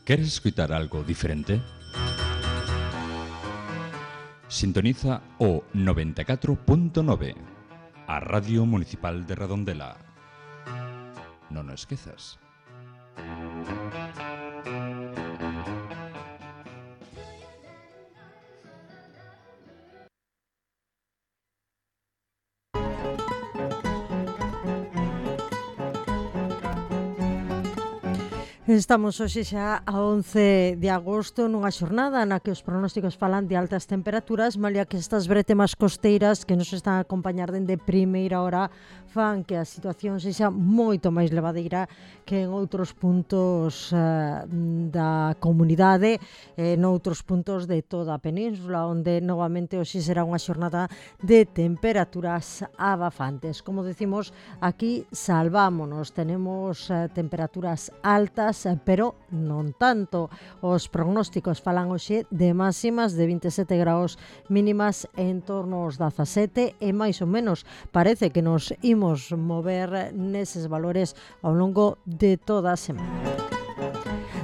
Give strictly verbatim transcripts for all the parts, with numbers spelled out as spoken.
¿Queres escuchar algo diferente? Sintoniza o noventa e catro punto nove, a Radio Municipal de Redondela. Non o esquezas. Estamos hoxe xa a once de agosto nunha xornada na que os pronósticos falan de altas temperaturas, malia que estas bretemas costeiras que nos están a acompañar dende primeira hora fan que a situación sexa moito máis levadeira que en outros puntos uh, da comunidade, e en outros puntos de toda a península, onde novamente hoxe será unha xornada de temperaturas abafantes. Como decimos, aquí salvámonos, tenemos uh, temperaturas altas, pero non tanto. Os prognósticos falan hoxe de máximas de vinte e sete graus, mínimas en torno aos dezasete, e máis ou menos parece que nos imos mover neses valores ao longo de toda a semana.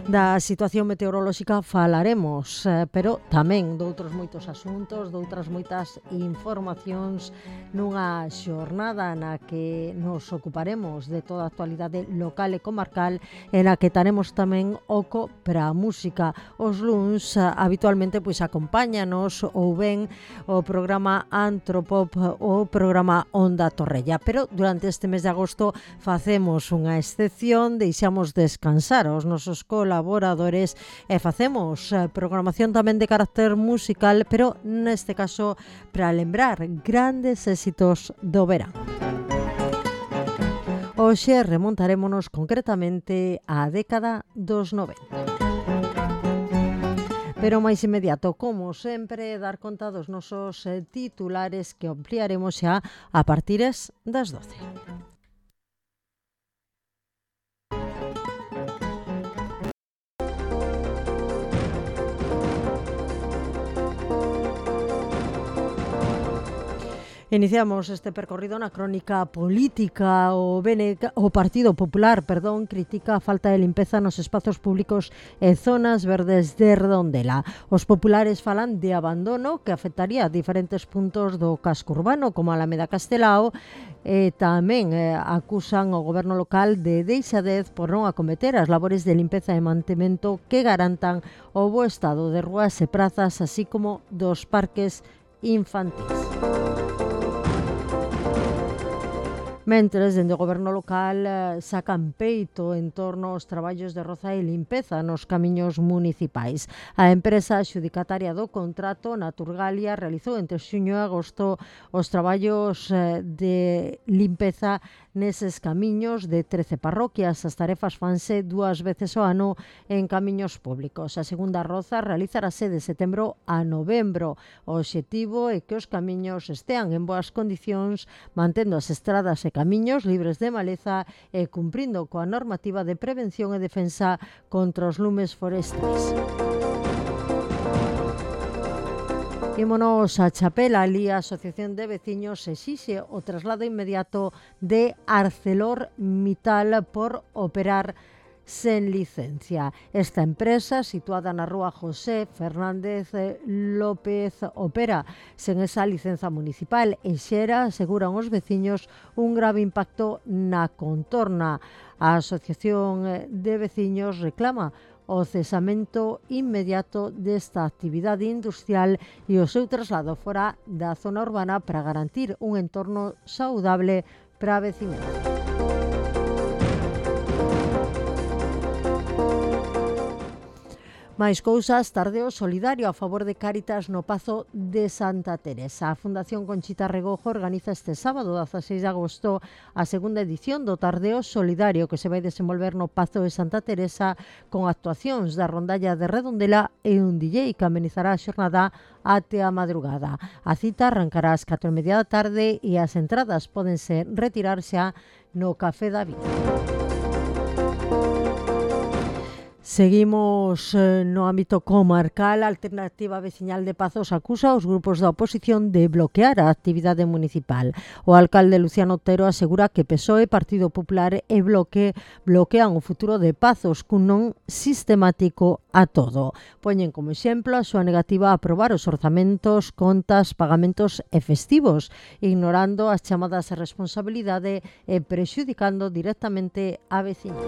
Da situación meteorolóxica falaremos, eh, pero tamén doutros moitos asuntos, doutras moitas informacións nunha xornada na que nos ocuparemos de toda a actualidade local e comarcal, e na que taremos tamén oco para a música. Os luns eh, habitualmente pois acompáñanos ou ben o programa Antropop ou o programa Onda Torrella, pero durante este mes de agosto facemos unha excepción, deixamos descansar aos nosos colaboradores colaboradores e facemos programación tamén de carácter musical, pero neste caso para lembrar grandes éxitos do verán. Hoxe remontarémonos concretamente á década dos noventa. Pero máis inmediato, como sempre, dar conta dos nosos titulares que ampliaremos xa a partires das doce. Iniciamos este percorrido na crónica política. O, B N K, o Partido Popular perdón, critica a falta de limpeza nos espazos públicos e zonas verdes de Redondela. Os populares falan de abandono que afectaría diferentes puntos do casco urbano, como a Alameda Castelao, e tamén eh, acusan o goberno local de deixadez por non acometer as labores de limpeza e mantemento que garantan o bo estado de rúas e prazas, así como dos parques infantis. Mentres, dende o goberno local eh, sacan peito en torno aos traballos de roza e limpeza nos camiños municipais. A empresa adxudicataria do contrato, Naturgalia, realizou entre xuño e agosto os traballos eh, de limpeza neses camiños de trece parroquias. As tarefas fanse dúas veces ao ano en camiños públicos. A segunda roza realizarase de setembro a novembro. O obxectivo é que os camiños estean en boas condicións, mantendo as estradas e camiños libres de maleza e cumprindo coa normativa de prevención e defensa contra os lumes forestais. Ímonos a Chapela. Ali a Asociación de Veciños exixe o traslado inmediato de ArcelorMittal por operar sen licencia. Esta empresa, situada na rúa José Fernández López, opera sen esa licenza municipal e xera, aseguran os veciños, un grave impacto na contorna. A Asociación de Veciños reclama o cesamento inmediato desta actividade industrial e o seu traslado fora da zona urbana para garantir un entorno saudable para a veciñanza. Máis cousas, Tardeo solidario a favor de Cáritas no Pazo de Santa Teresa. A Fundación Conchita Regojo organiza este sábado, dezaseis de agosto, a segunda edición do Tardeo solidario que se vai desenvolver no Pazo de Santa Teresa con actuacións da Rondalla de Redondela e un D J que amenizará a xornada até a madrugada. A cita arrancará ás catro e media da tarde e as entradas pódense retirar xa no Café da Vida. Seguimos eh, no ámbito comarcal. A Alternativa Veciñal de Pazos acusa aos grupos da oposición de bloquear a actividade municipal. O alcalde Luciano Otero asegura que P S O E, Partido Popular e Bloque bloquean o futuro de Pazos cun non sistemático a todo. Poñen como exemplo a súa negativa a aprobar os orzamentos, contas, pagamentos e festivos, ignorando as chamadas a responsabilidade e prexudicando directamente a veciña.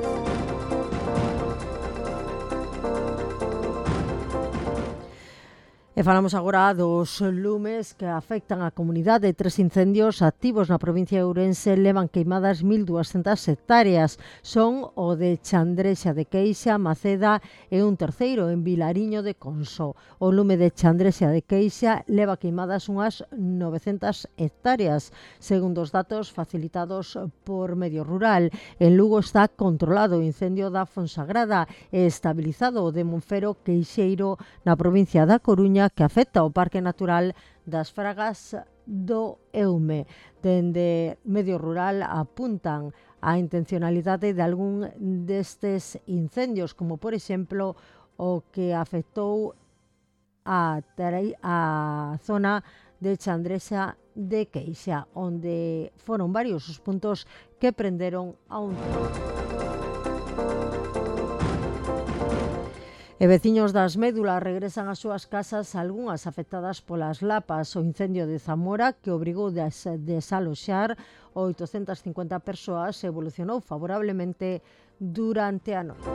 E falamos agora dos lumes que afectan a comunidade. Tres incendios activos na provincia de Ourense levan queimadas mil duascentas hectáreas. Son o de Chandrexa de Queixa, Maceda e un terceiro en Vilariño de Conso. O lume de Chandrexa de Queixa leva queimadas unhas novecentas hectáreas, segundo os datos facilitados por Medio Rural. En Lugo está controlado o incendio da Fonsagrada e estabilizado o de Monfero Queixeiro na provincia da Coruña, que afecta ao Parque Natural das Fragas do Eume. Dende Medio Rural apuntan a intencionalidade de algún destes incendios, como por exemplo o que afectou a, a zona de Chandrexa de Queixa, onde foron varios os puntos que prenderon a un tempo. E veciños das Médulas regresan ás súas casas, algunhas afectadas polas lapas. O incendio de Zamora, que obrigou a desaloxar oitocentas cincuenta persoas, evolucionou favorablemente durante a noite.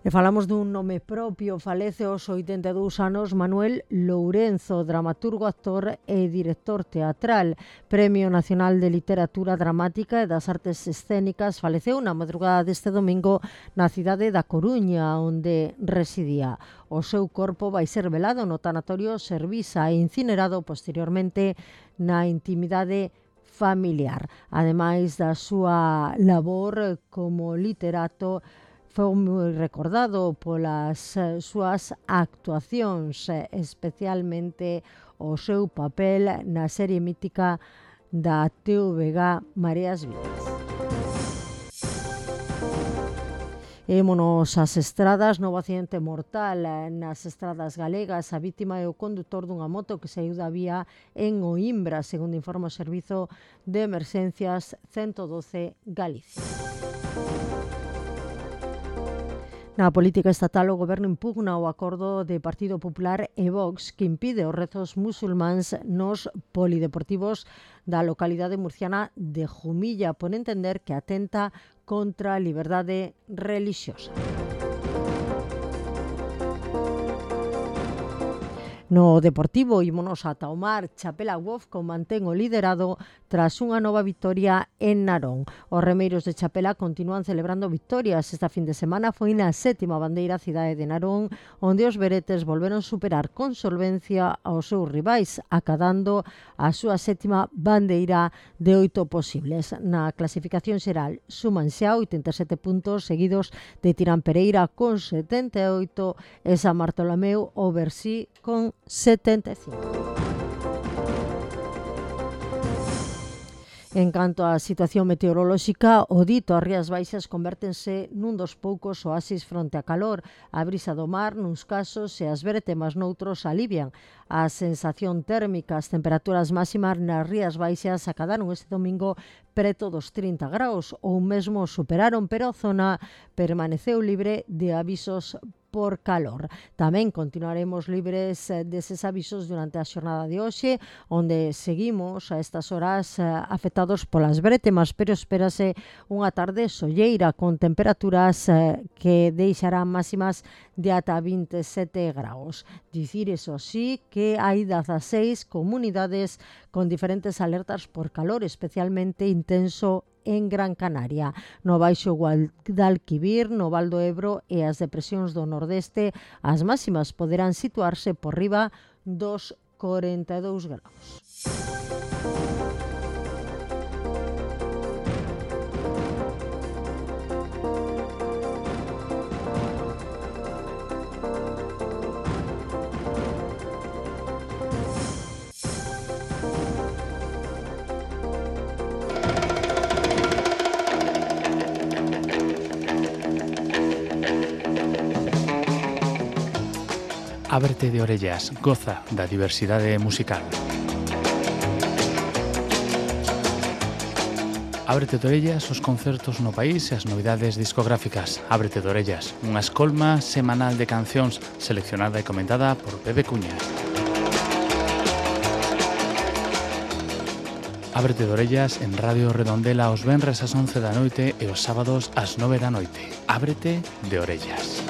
E falamos dun nome propio. Falece aos oitenta e dous anos Manuel Lourenzo, dramaturgo, actor e director teatral. Premio Nacional de Literatura Dramática e das Artes Escénicas. Faleceu na madrugada deste domingo na cidade da Coruña, onde residía. O seu corpo vai ser velado no tanatorio Servisa e incinerado posteriormente na intimidade familiar. Ademais da súa labor como literato, foi moi recordado polas súas actuacións, especialmente o seu papel na serie mítica da T V G Mareas Vivas. Émonos ás estradas. Novo accidente mortal nas estradas galegas. A vítima é o condutor dunha moto que saiu da vía en Oimbra, segundo informa o Servizo de Emerxencias ciento doce Galicia. Na política estatal, o Goberno impugna o acordo de Partido Popular e Vox que impide os rezos musulmáns nos polideportivos da localidade murciana de Jumilla, por entender que atenta contra a liberdade relixiosa. No Deportivo, ímonos ata o mar. Chapela Wofco mantén o liderado tras unha nova vitoria en Narón. Os remeiros de Chapela continúan celebrando victorias. Esta fin de semana foi na sétima bandeira cidade de Narón, onde os veretes volveron superar con solvencia aos seus rivais, acadando a súa sétima bandeira de oito posibles. Na clasificación xeral suman xa oitenta e sete puntos, seguidos de Tirán Pereira con setenta e oito e San Bartolomeu o Bersí con setenta e cinco. En canto á situación meteorolóxica, o dito as Rías Baixas convértense nun dos poucos oasis fronte a calor. A brisa do mar nuns casos e as veretemas noutros alivian a sensación térmica. As temperaturas máximas nas Rías Baixas acadaron este domingo preto dos trinta graus ou mesmo superaron, pero a zona permaneceu libre de avisos por calor. Tamén continuaremos libres deses avisos durante a xornada de hoxe, onde seguimos a estas horas afectados polas bretemas, pero espérase unha tarde solleira con temperaturas que deixarán máximas de ata vinte e sete graus. Dicir, eso sí, que hai dezaseis comunidades con diferentes alertas por calor especialmente intenso en Gran Canaria. No Baixo Guadalquivir, no Val do Ebro e as depresións do Nordeste, as máximas poderán situarse por riba dos corenta e dous graus. Ábrete de orellas, goza da diversidade musical. Ábrete de orellas os concertos no país e as novidades discográficas. Ábrete de orellas, unha escolma semanal de cancións seleccionada e comentada por Pepe Cuña. Ábrete de orellas en Radio Redondela os venres ás once da noite e os sábados ás nove da noite. Ábrete de orellas.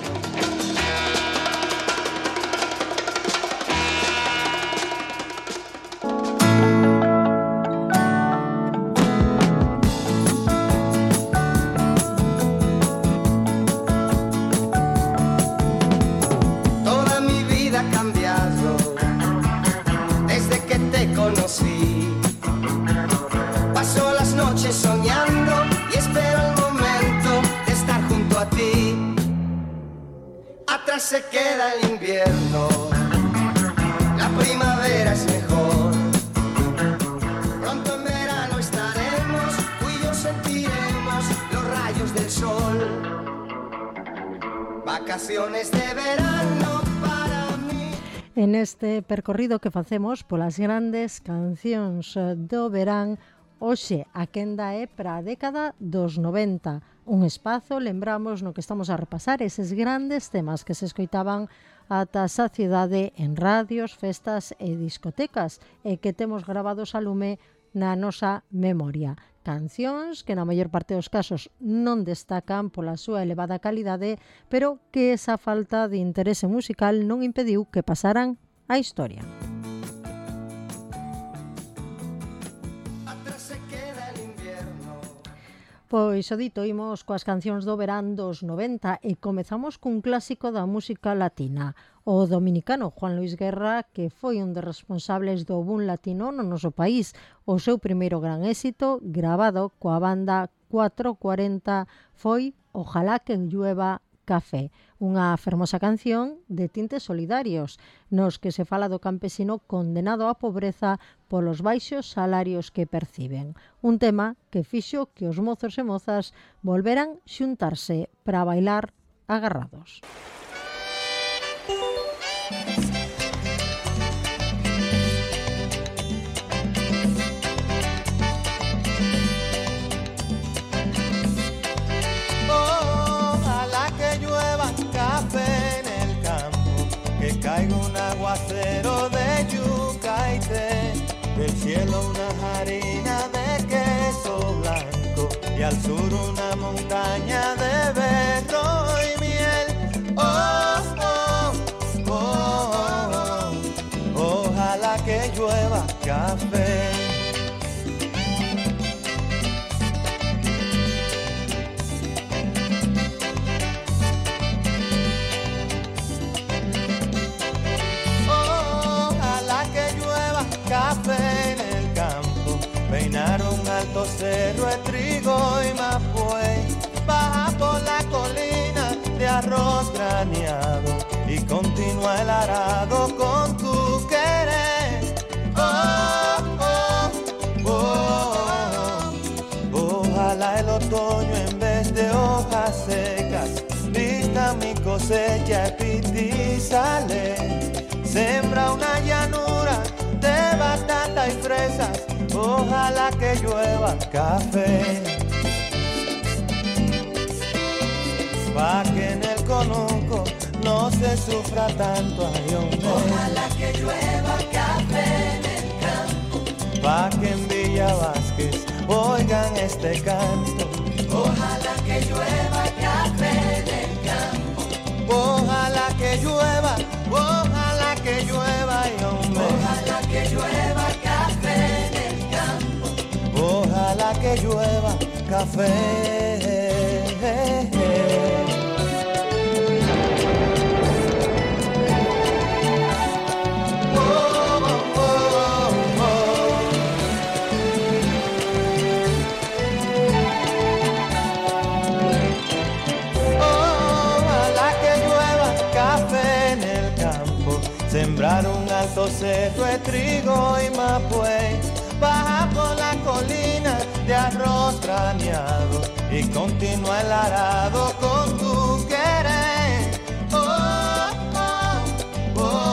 Toda mi vida ha cambiado desde que te conocí. Paso las noches soñando y espero el momento de estar junto a ti. Atrás se queda el invierno, la primavera es mejor. Pronto en verano estaremos, tú y yo sentiremos los rayos del sol. Vacaciones de verano para mí. En este percorrido que facemos polas grandes cancións do verán, hoxe a quenda é para a década dos noventa, un espazo, lembramos, no que estamos a repasar eses grandes temas que se escoitaban ata a saciedade en radios, festas e discotecas e que temos gravados a lume na nosa memoria. Cancións que na maior parte dos casos non destacan pola súa elevada calidade, pero que esa falta de interese musical non impediu que pasaran a historia. Pois o dito, imos coas cancións do verán dos noventa e comezamos cun clásico da música latina, o dominicano Juan Luis Guerra, que foi un dos responsables do boom latino no noso país. O seu primeiro gran éxito, gravado coa banda cuatro cuarenta, foi Ojalá que llueva café, unha fermosa canción de tintes solidarios, nos que se fala do campesino condenado á pobreza polos baixos salarios que perciben. Un tema que fixo que os mozos e mozas volveran xuntarse para bailar agarrados. Caiga un aguacero de yuca y té, del cielo una harina de queso blanco y al sur una montaña de berro y miel. Oh, oh, oh, oh, oh, ojalá que llueva café. Café en el campo, peinar un alto cerro de trigo y mapuey, baja por la colina de arroz graneado y continúa el arado con tu querer. Oh, oh, oh, oh, ojalá el otoño en vez de hojas secas vista mi cosecha y pitizale, sembra una llanura de batata y fresas, ojalá que llueva café. Pa' que en el conuco no se sufra tanto, ay, hombre. Ojalá que llueva café en el campo. Pa' que en Villa Vázquez oigan este canto. Ojalá que llueva café en el campo. Ojalá que llueva, ojalá que llueva, ay, hombre. Ojalá que llueva café en el campo. Ojalá que llueva café. Sembrar un alto cerro de trigo y mapuey, baja por la colina de arroz graneado y continúa el arado con tu querer. Oh, oh, oh,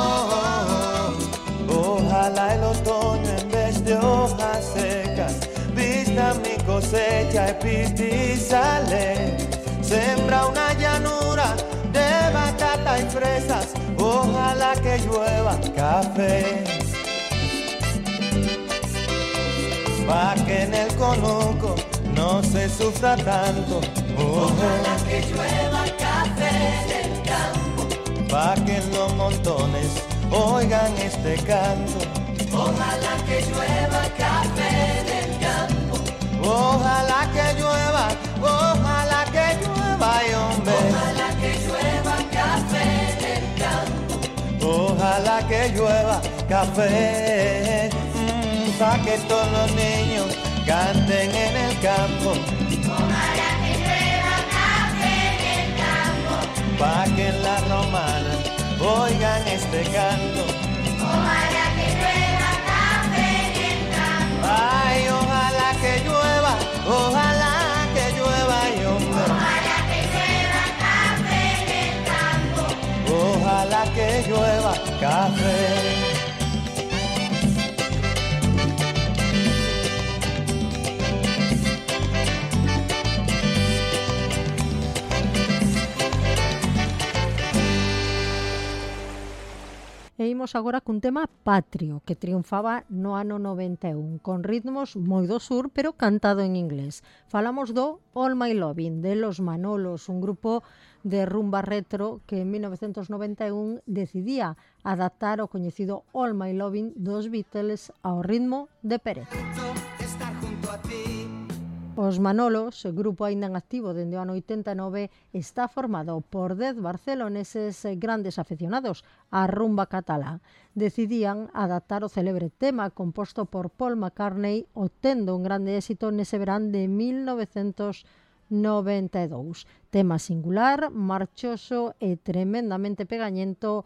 cosecha y pistizales, sembra una llanura de batata y fresas, ojalá que llueva café. Pa' que en el conuco no se sufra tanto, ojalá que llueva café del campo. Pa' que en los montones oigan este canto, ojalá que llueva café del campo. Ojalá que llueva, ojalá que llueva, y hombre. Ojalá que llueva café del campo. Ojalá que llueva café, mmm, pa' que todos los niños canten en el campo. Ojalá que llueva café en el campo. Pa' que en la romana oigan este canto. Ojalá que llueva café en el campo. Ay, ojalá que llueva, ojalá que llueva, y hombre. Ojalá que llueva café en el campo. Ojalá que llueva café. E imos agora cun tema patrio que triunfaba no ano noventa e un, con ritmos moi do sur, pero cantado en inglés. Falamos do All My Lovin' de Los Manolos, un grupo de rumba retro que en mil novecentos noventa e un decidía adaptar o coñecido All My Lovin' dos Beatles ao ritmo de Pérez. Estar junto a ti. Os Manolos, grupo aínda en activo dende o ano oitenta e nove, está formado por dez barceloneses grandes aficionados á rumba catalá. Decidían adaptar o célebre tema composto por Paul McCartney, obtendo un grande éxito nese verán de mil novecentos noventa e dous. Tema singular, marchoso e tremendamente pegañento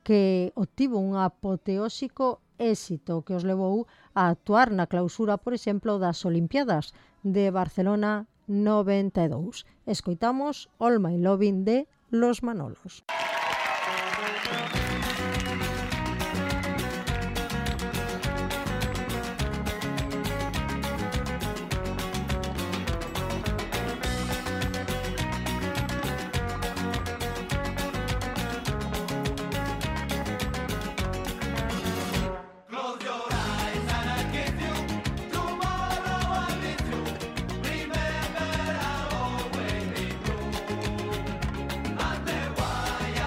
que obtivo un apoteósico éxito que os levou a actuar na clausura, por exemplo, das Olimpiadas de Barcelona noventa e dous. Escoitamos All My Lovin' de Los Manolos. Vaya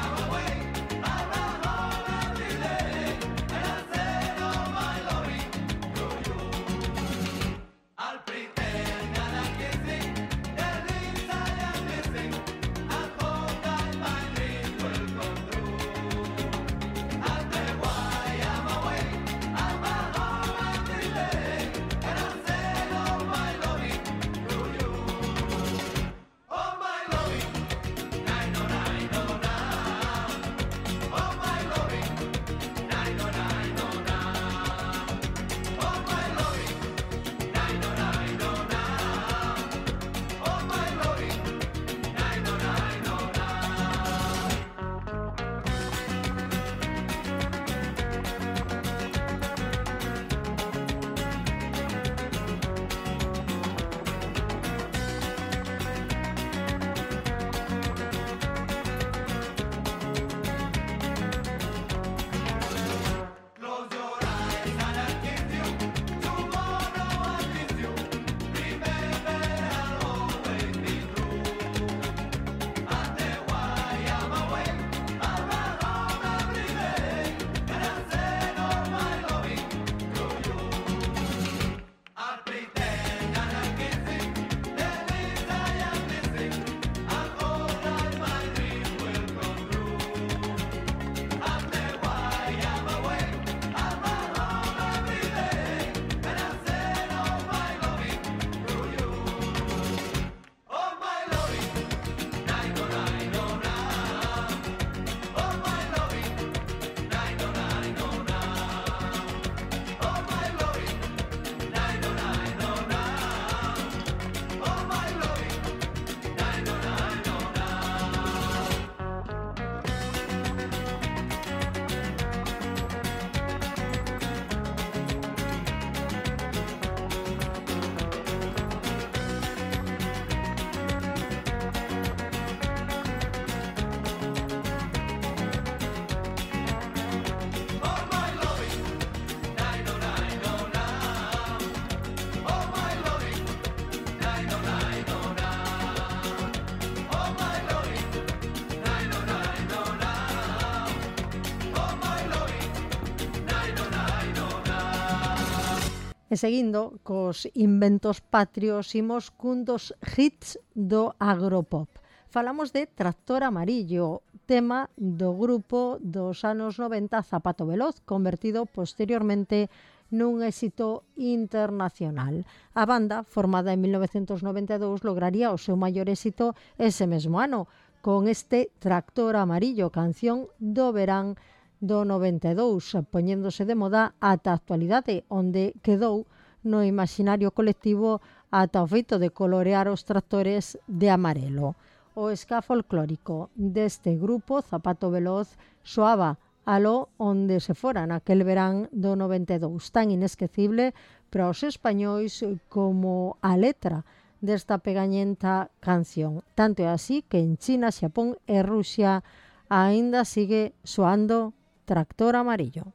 E seguindo cos inventos patrios, imos cun dos hits do agropop. Falamos de Tractor Amarillo, tema do grupo dos anos noventa Zapato Veloz, convertido posteriormente nun éxito internacional. A banda, formada en mil novecentos noventa e dous, lograría o seu maior éxito ese mesmo ano, con este Tractor Amarillo, canción do verán do noventa e dous, poñéndose de moda ata a actualidade, onde quedou no imaginario colectivo ata o feito de colorear os tractores de amarelo. O ska folclórico deste grupo, Zapato Veloz, soaba aló onde se fora naquel verán do noventa e dous, tan inesquecible para os españois como a letra desta pegañenta canción. Tanto é así que en China, Xapón e Rusia aínda sigue soando Tractor Amarillo.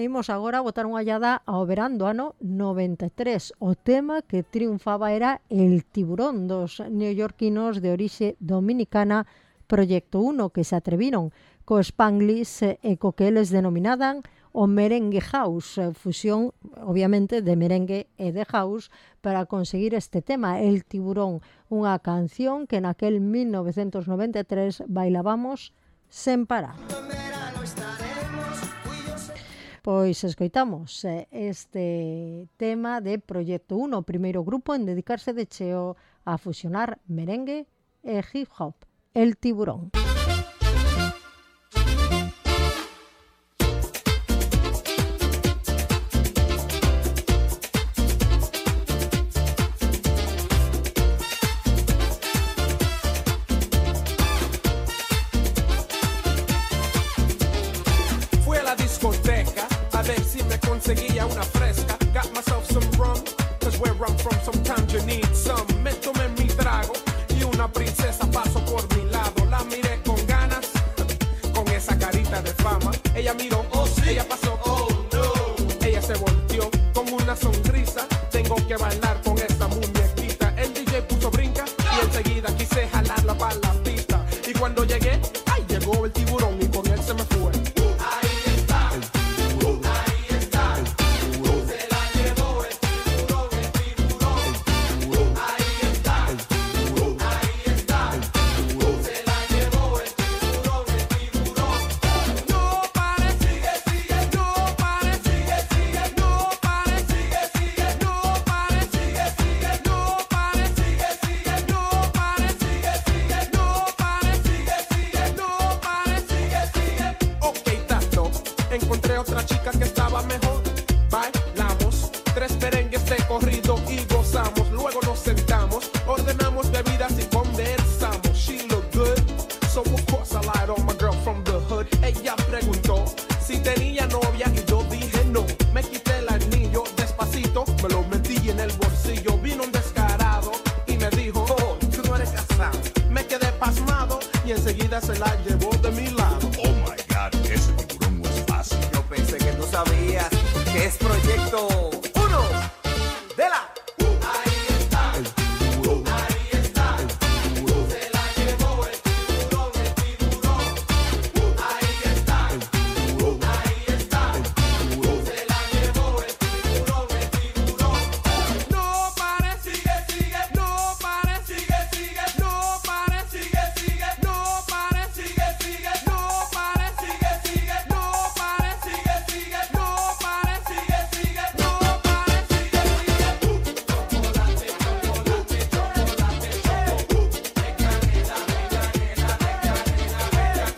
Imos agora a botar unha ollada ao verán do ano noventa e tres. O tema que triunfaba era El Tiburón, dos neoyorquinos de orixe dominicana Proyecto uno, que se atreviron co Spanglish e co que eles denominaban o merengue house, fusión, obviamente, de merengue e de house para conseguir este tema, El Tiburón, unha canción que naquel mil novecentos noventa e tres bailábamos sen parar. Pois escoitamos este tema de Proyecto uno, o primeiro grupo en dedicarse de cheo a fusionar merengue e hip hop, El Tiburón. Fui a la discoteca a ver si me conseguía una fresca. Got myself sometimes you need some. Me tomé mi trago y una princesa pasó por mi lado. La miré con ganas, con esa carita de fama. Ella miró, oh sí, ella pasó, oh no. Ella se volteó con una sonrisa. Tengo que bailar con esta muñequita. El D J puso brinca y enseguida quise jalarla para la pista. Y cuando llegué, ay, llegó el tiburón y con él se me fue. Encontré otra chica que estaba mejor. Bailamos tres merengues de corrido y gozamos. Luego nos sentamos, ordenamos bebidas y conversamos. She looked good, so of course I lied on my girl from the hood. Ella preguntó si tenía novia y yo dije no. Me quité el anillo despacito, me lo metí en el bolsillo. Vino un descarado y me dijo, oh, tú no eres casado. Me quedé pasmado y enseguida se la llevó de mi lado. Oh my God, ese tiburón no es fácil. Yo pensé que tú sabías que es proyecto uno de la... Ahí está, el tiburón. Ahí está, el tiburón. Se la llevó el tiburón, el tiburón. Ahí está, el tiburón. Ahí está, el tiburón. Se la llevó el tiburón, el tiburón. No pare, sigue, sigue. No pare, sigue, sigue. No pare, sigue, sigue. No pare, sigue, sigue. No pare, sigue, sigue. No pare, sigue, sigue. No pare, sigue, sigue. No pare, sigue, sigue. Chocolate, chocolate, chocolate, choco. De canela, de canela, de canela, de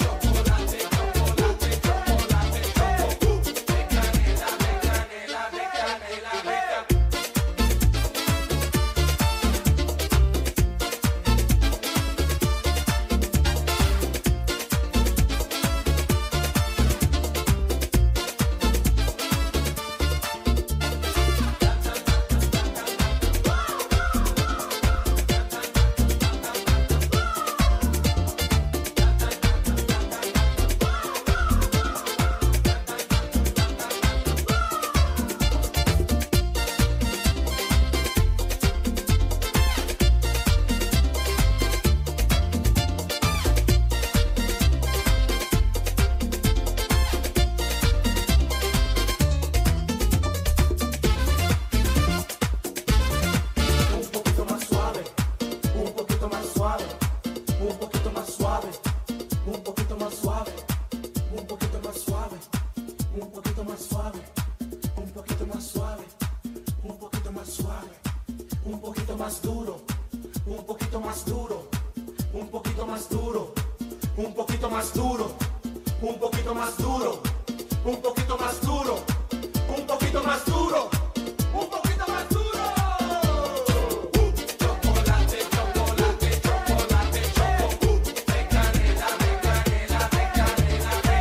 chocolate, chocolate, chocolate, choco. De canela, de canela, de canela, de canela. Un poquito más suave, un poquito más suave, un poquito más suave, un poquito más suave, un poquito más suave, un poquito más suave, un poquito más suave, un poquito más suave, un poquito más duro, un poquito más duro, un poquito más duro, un poquito más duro, un poquito más duro, un poquito más duro, un poquito más duro, un poquito más duro. Chocolate, chocolate, chocolate, choco. De canela, de canela, de canela, de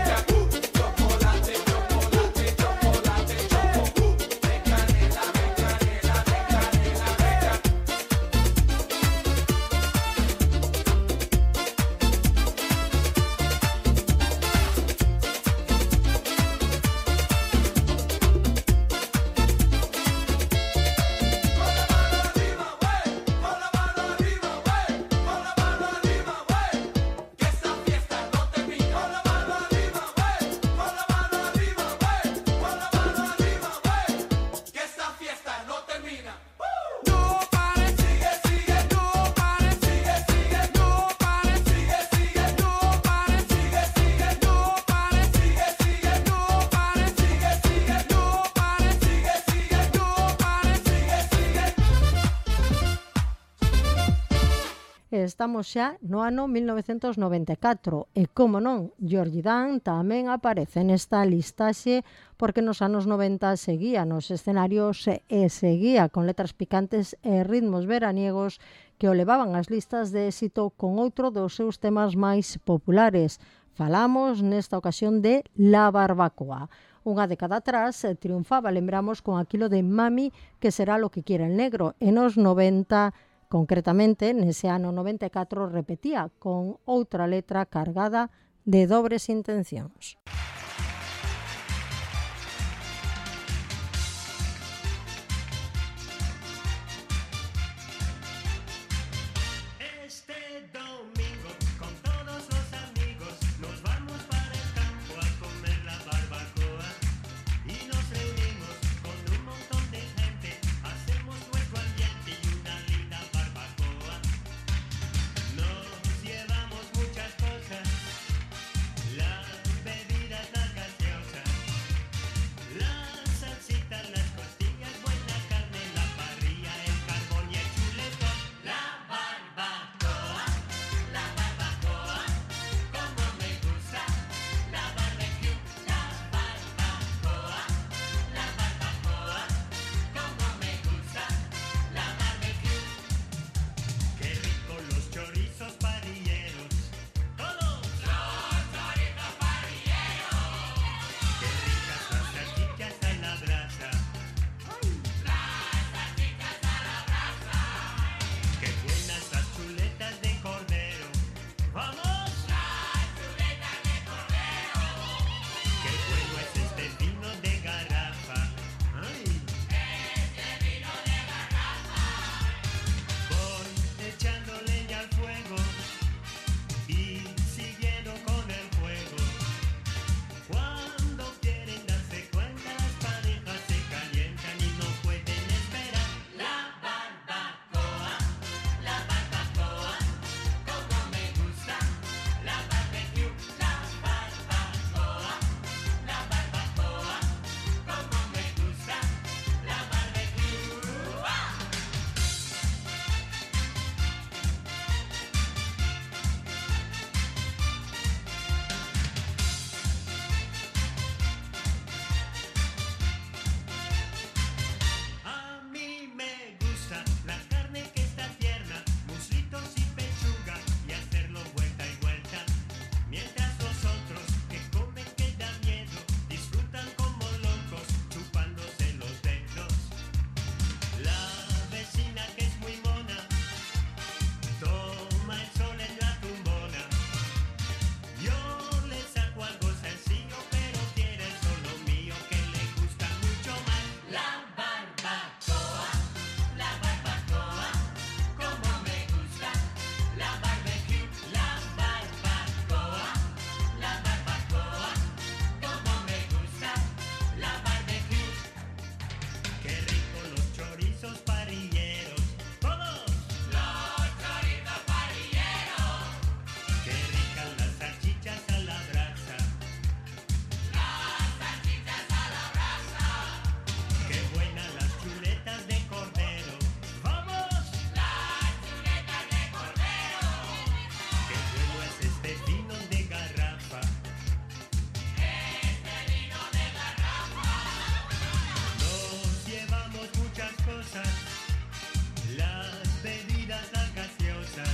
chocolate, chocolate, chocolate, choco. De canela, de canela, de canela, de Estamos xa no ano mil novecentos noventa e catro e, como non, Georgie Dan tamén aparece nesta listaxe porque nos anos noventa seguía nos escenarios e seguía con letras picantes e ritmos veraniegos que o levaban ás listas de éxito con outro dos seus temas máis populares. Falamos nesta ocasión de La Barbacoa, Unha década atrás eh, triunfaba, lembramos, con aquilo de Mami, que será lo que quiera el negro. En os noventa, concretamente, nese ano noventa e catro, repetía con outra letra cargada de dobres intencións. Este domingo con todos los amigos nos vamos para el campo a comer la barbacoa y nos reunimos con un montón de gente, hacemos nuestro ambiente y una linda barbacoa. Nos llevamos muchas cosas, las bebidas, las gaseosas, las salsitas, las costillas, buena carne, la parrilla, el carbón y el chuletón. La barbacoa, la barbacoa, como me gusta, la barbecue, la barbacoa, la barbacoa, como me gusta, la barbecue. Qué rico los chorizos parrilleros, todos los chorizos parrilleros. Qué ricas las salchichas a la brasa, las salchichas a la brasa. Qué buenas las chuletas de cordero, vamos, las chuletas de cordero. Qué bueno es este vino de garrafa, ay, este vino de garrafa. Voy echando leña al fuego y siguiendo con el juego. Cuando quieren darse cuenta las parejas se calientan y no pueden esperar. La barbacoa, la barbacoa, como me gusta, la barbecue, la barbacoa, la barbacoa, como me gusta, la barbecue. ¡Ah! A mí me gusta la carne que está tierna, muslitos y pechuga y hacerlo vuelta y vuelta. Mientras los otros que comen que da miedo, disfrutan como locos chupándose los dedos. La vecina que es muy mona, toma el sol en la tumbona. Yo le saco algo sencillo, pero quiere solo mío que le gusta mucho más. La barbacoa, la barbacoa, como me gusta, la barbecue, la barbacoa, la barbacoa, como me gusta, la barbecue. Qué rico los chorizos parrilleros, todos los chorizos parrilleros. Qué ricas las salchichas a la brasa, las salchichas a la brasa. Qué buenas las chuletas de cordero, vamos, las chuletas de cordero. Qué bueno es este vino de garrafa, este vino de garrafa. Nos llevamos muchas cosas, las bebidas, las gaseosas,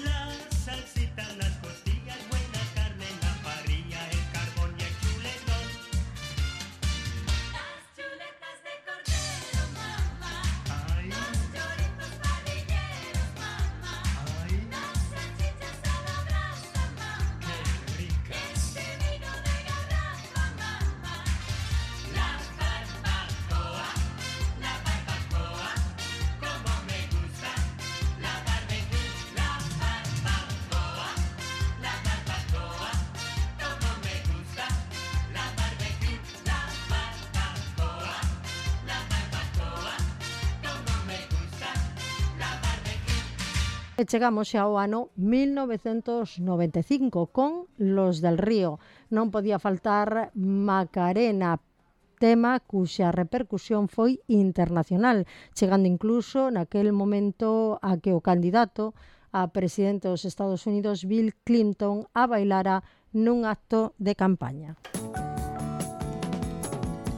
las salsitas, las costillas, buena carne, la parrilla, el carbón y el chuletón. Las chuletas de cordero, mamá. Ay, los chorizos parrilleros, mamá. Ay, las salchichas a la brasa, mamá. Qué ricas. Este vino de garrafa, mamá. La barbacoa, la barbacoa, como me gusta, la barbecue, la barbacoa, la barbacoa, como me gusta, la barbecue, la barbacoa, la barbacoa, como me gusta, la barbecue. E chegamos xa ao ano mil novecentos noventa e cinco con Los del Río. Non podía faltar Macarena, tema cuxa repercusión foi internacional, chegando incluso naquel momento a que o candidato a presidente dos Estados Unidos, Bill Clinton, a bailara nun acto de campaña.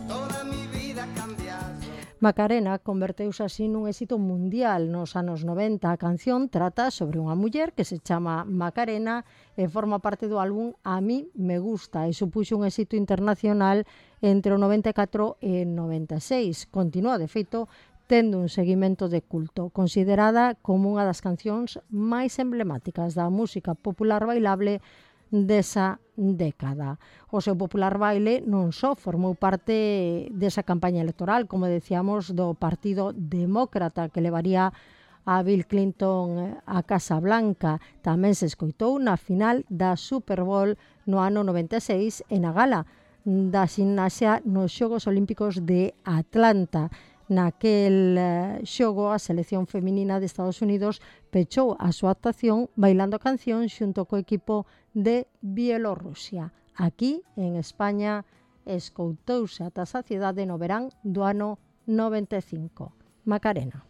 Toda mi vida ha cambiado. Macarena converteuse así nun éxito mundial nos anos noventa. A canción trata sobre unha muller que se chama Macarena e forma parte do álbum A mí me gusta e supuxo un éxito internacional entre o noventa e catro e noventa e seis. Continúa, de feito, tendo un seguimento de culto, considerada como unha das cancións máis emblemáticas da música popular bailable desa década. O seu popular baile non só formou parte desa campaña electoral, como decíamos, do Partido Demócrata que levaría a Bill Clinton a Casa Blanca. Tamén se escoitou na final da Super Bowl no ano noventa e seis e na gala da ximnasia nos Xogos Olímpicos de Atlanta. Naquel xogo, a selección feminina de Estados Unidos pechou a súa actuación bailando a canción xunto co equipo de Bielorrusia. Aquí, en España, escoitouse ata a saciedade no verán do ano noventa e cinco. Macarena.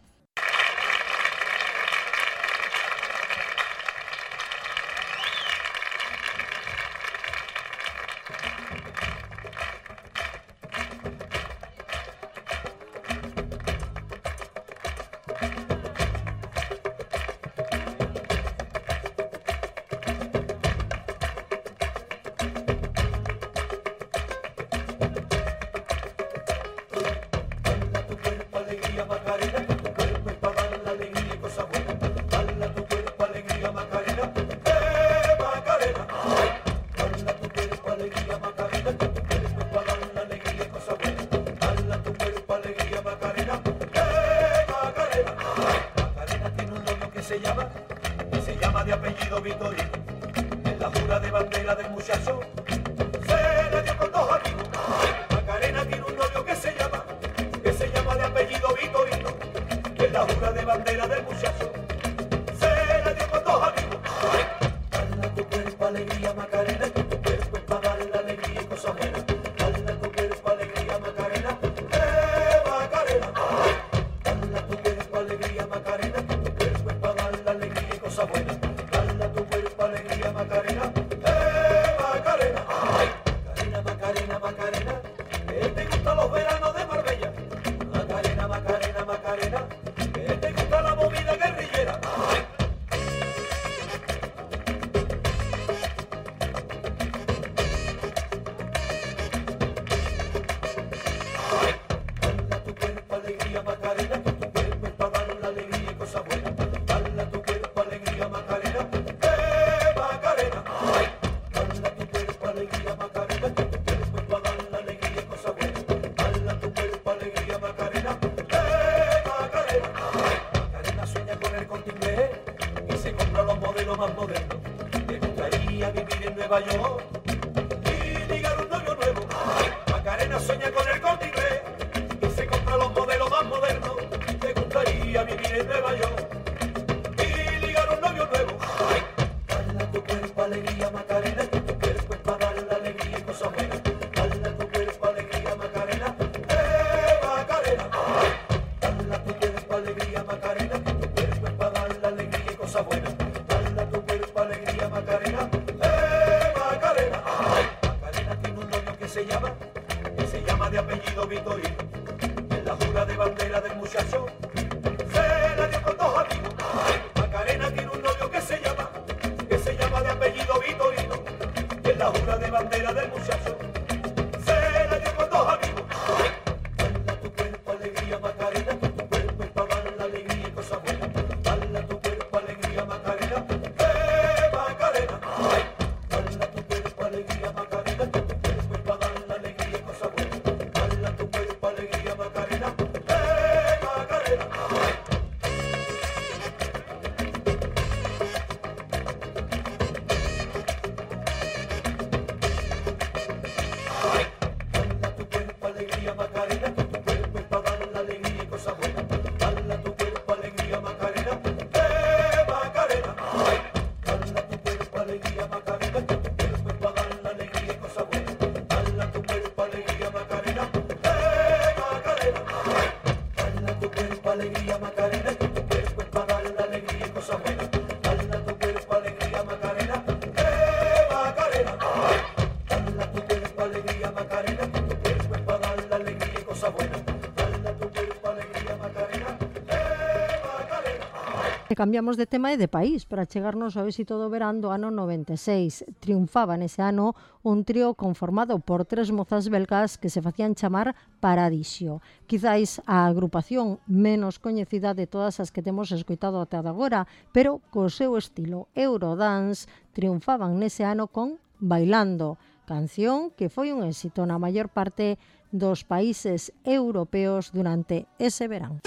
E cambiamos de tema e de país para chegarnos ao éxito do verán do ano noventa e seis. Triunfaba nese ano un trío conformado por tres mozas belgas que se facían chamar Paradisio. Quizáis a agrupación menos coñecida de todas as que temos escoitado ata agora, pero co seu estilo Eurodance triunfaban nese ano con Bailando, canción que foi un éxito na maior parte dos países europeos durante ese verán.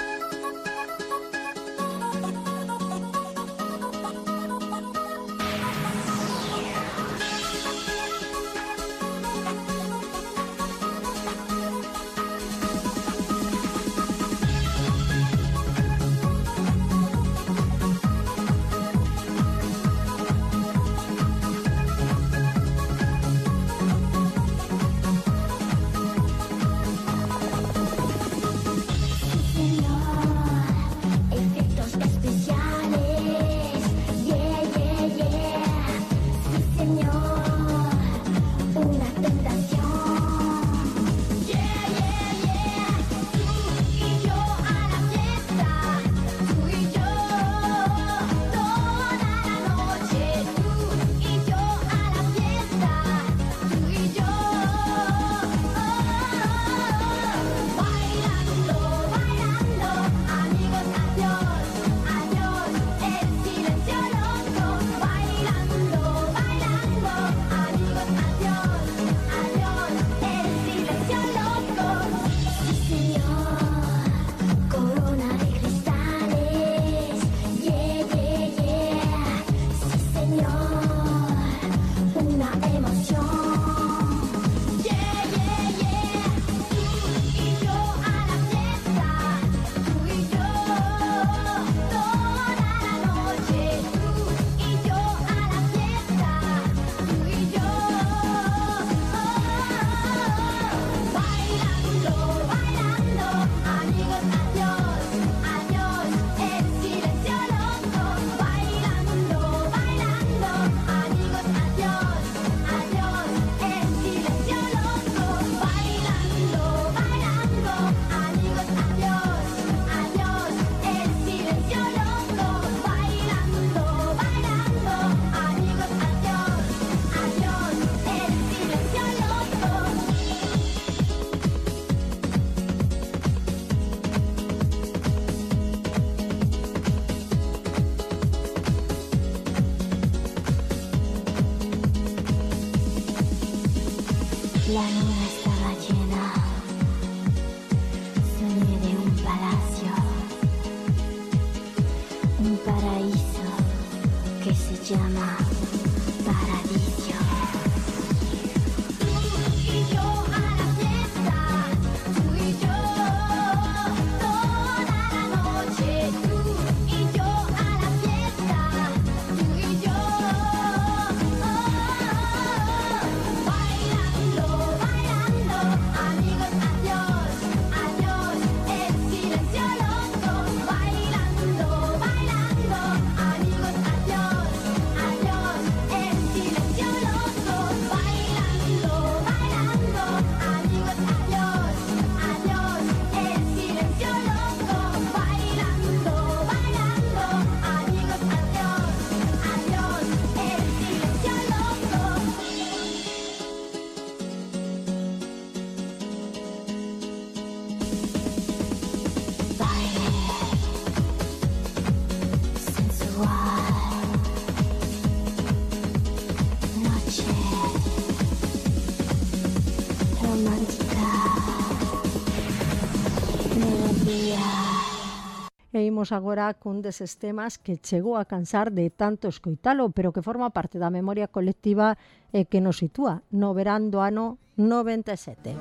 La luna estaba llena, soñé de un palacio, un paraíso que se llama Paradiso. Tú y yo a la fiesta, tú y yo toda la noche, tú y yo a la fiesta, tú y yo. E imos agora cun deses temas que chegou a cansar de tanto escoitalo, pero que forma parte da memoria colectiva e que nos sitúa no verán do ano noventa e sete.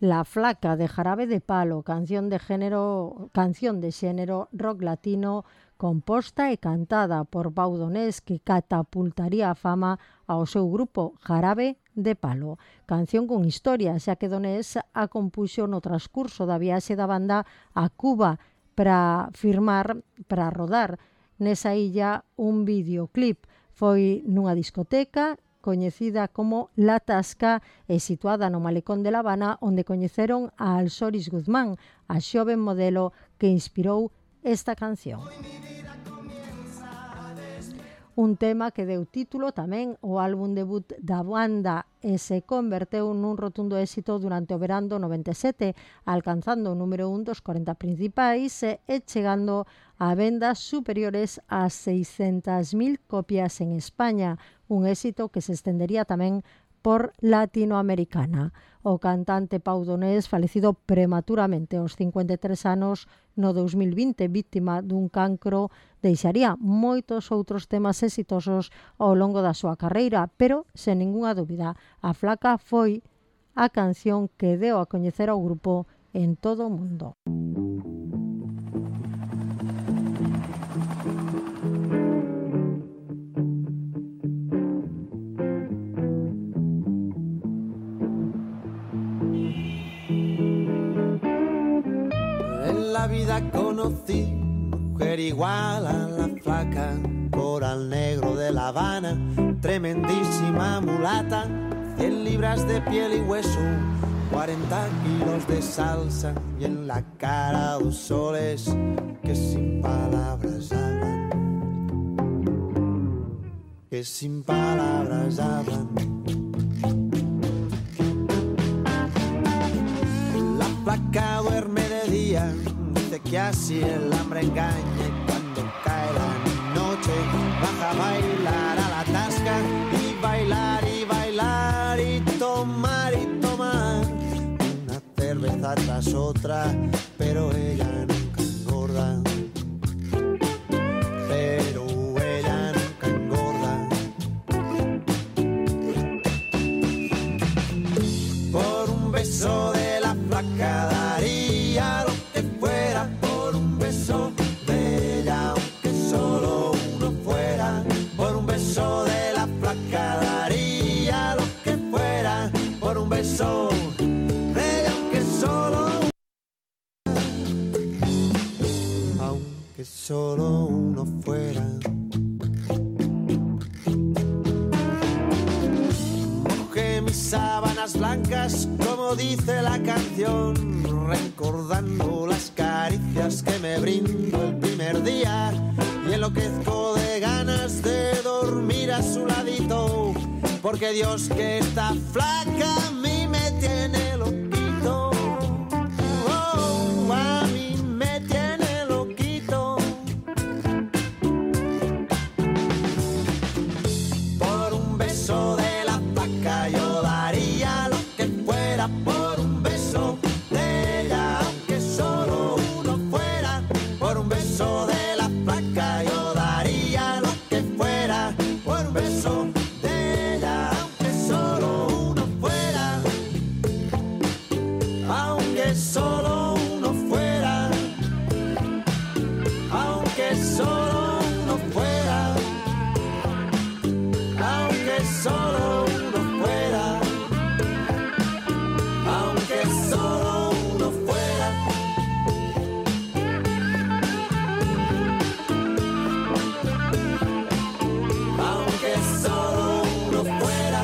La flaca de Jarabe de Palo, canción de género, canción de xénero rock latino composta e cantada por Pau Donés, que catapultaría a fama ao seu grupo Jarabe de Palo. Canción con historia, xa que Donés a compuxo no transcurso da viaxe da banda a Cuba para firmar, para rodar nesa illa un videoclip. Foi nunha discoteca coñecida como La Tasca e situada no malecón de La Habana, onde coñeceron a Alsoris Guzmán, a xoven modelo que inspirou esta canción. Un tema que deu título tamén ao álbum debut da banda e se converteu nun rotundo éxito durante o verán do noventa e sete, alcanzando o número un dos corenta principais e chegando a vendas superiores a seiscentas mil copias en España, un éxito que se estendería tamén por Latinoamericana. O cantante paudonés, falecido prematuramente aos cincuenta e tres anos no dous mil vinte, víctima dun cancro, deixaría moitos outros temas exitosos ao longo da súa carreira, pero, sen ningunha dúbida, a Flaca foi a canción que deu a coñecer ao grupo en todo o mundo. En la vida conocí mujer igual a la Flaca, coral negro de La Habana, tremendísima mulata, cien libras de piel y hueso, cuarenta kilos de salsa y en la cara dos soles que sin palabras hablan, que sin palabras hablan. La Flaca duerme de día, dice que así el hambre engaña y cuando cae la noche baja a bailar a La Tasca y bailar y bailar y tomar y tomar una cerveza tras otra, pero ella nunca engorda, pero ella nunca engorda. Por un beso de la Flaca daría lo que fuera, por un beso de ella, aunque solo uno fuera. Por un beso de la Flaca daría lo que fuera, por un beso de ella, aunque solo aunque solo uno fuera. Mojé mis sábanas blancas, como dice la canción, recordando las caricias que me brindó el primer día, y enloquezco de ganas de dormir a su ladito, porque Dios que esta Flaca a mí me tiene loquito. Oh, a mí me tiene loquito. Por un beso de la Flaca yo daría lo que fuera, por un beso de ella, aunque solo uno fuera. Por un beso de la Flaca yo daría lo que fuera, por un beso de ella, aunque solo uno fuera, aunque solo uno fuera, aunque solo uno fuera, aunque solo uno fuera, aunque solo uno fuera. Aunque solo uno fuera,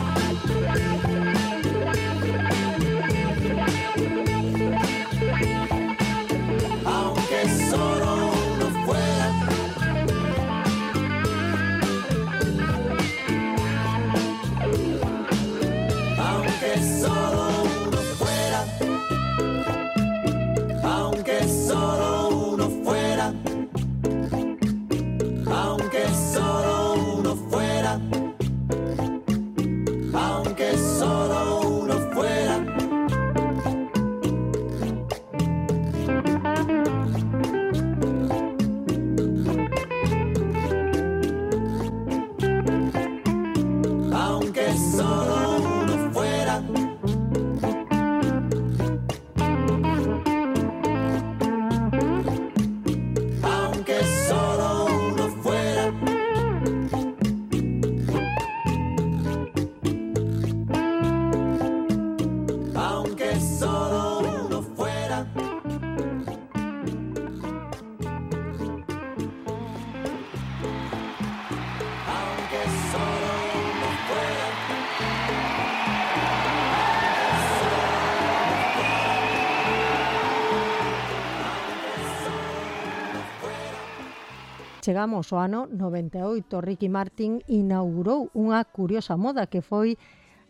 aunque solo uno fuera, aunque solo uno fuera, aunque solo uno fuera, aunque solo uno fuera, aunque solo uno fuera. Aunque solo uno fuera. chegamos ao ano noventa e oito. Ricky Martin inaugurou unha curiosa moda que foi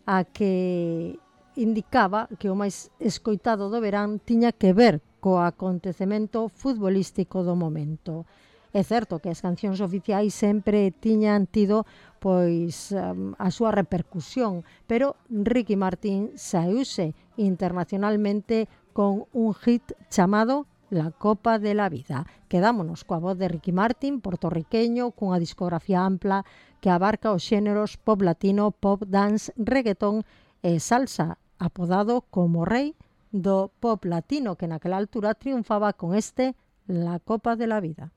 a que indicaba que o máis escoitado do verán tiña que ver co acontecemento futbolístico do momento. É certo que as cancións oficiais sempre tiñan tido pois um, a súa repercusión, pero Ricky Martin saíuse internacionalmente con un hit chamado La Copa de la Vida. Quedámonos coa voz de Ricky Martin, portorriqueño, cunha discografía ampla que abarca os xéneros pop latino, pop dance, reggaetón e salsa, apodado como rei do pop latino, que naquela altura triunfaba con este La Copa de la Vida.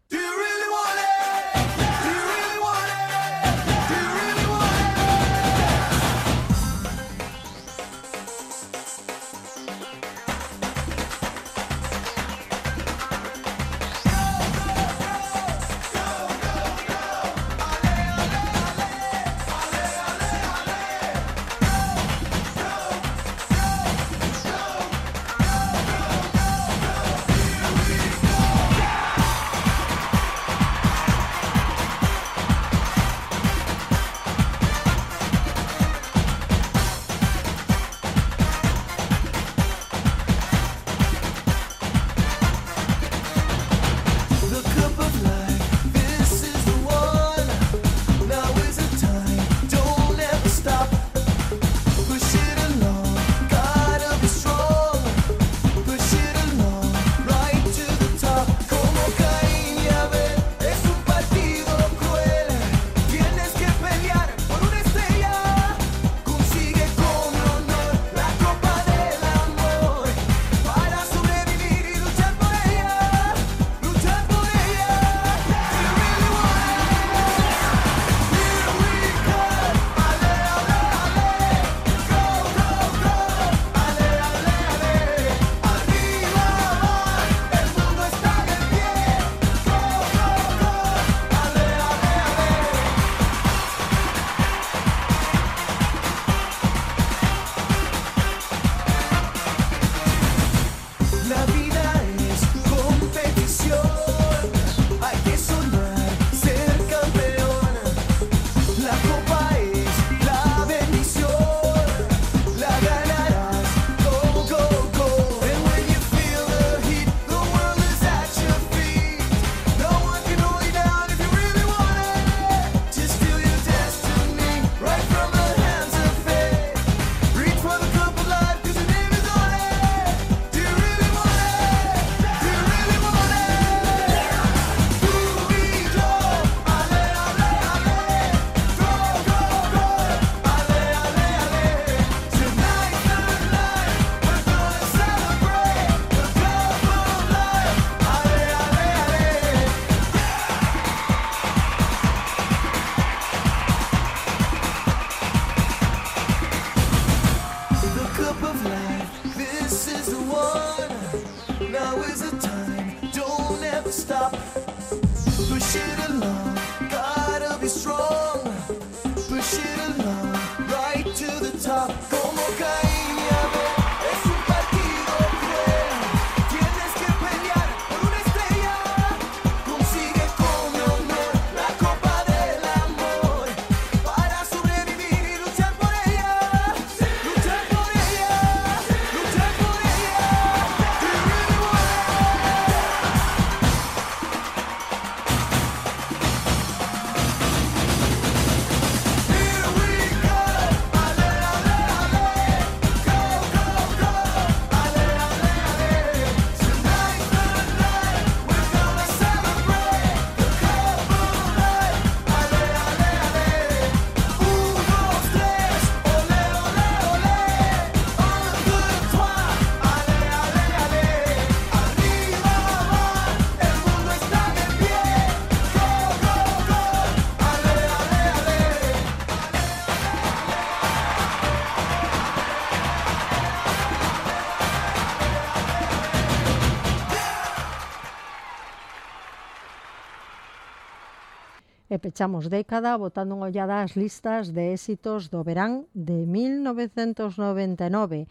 E pechamos década botando unha ollada ás listas de éxitos do verán de mil novecentos noventa e nove,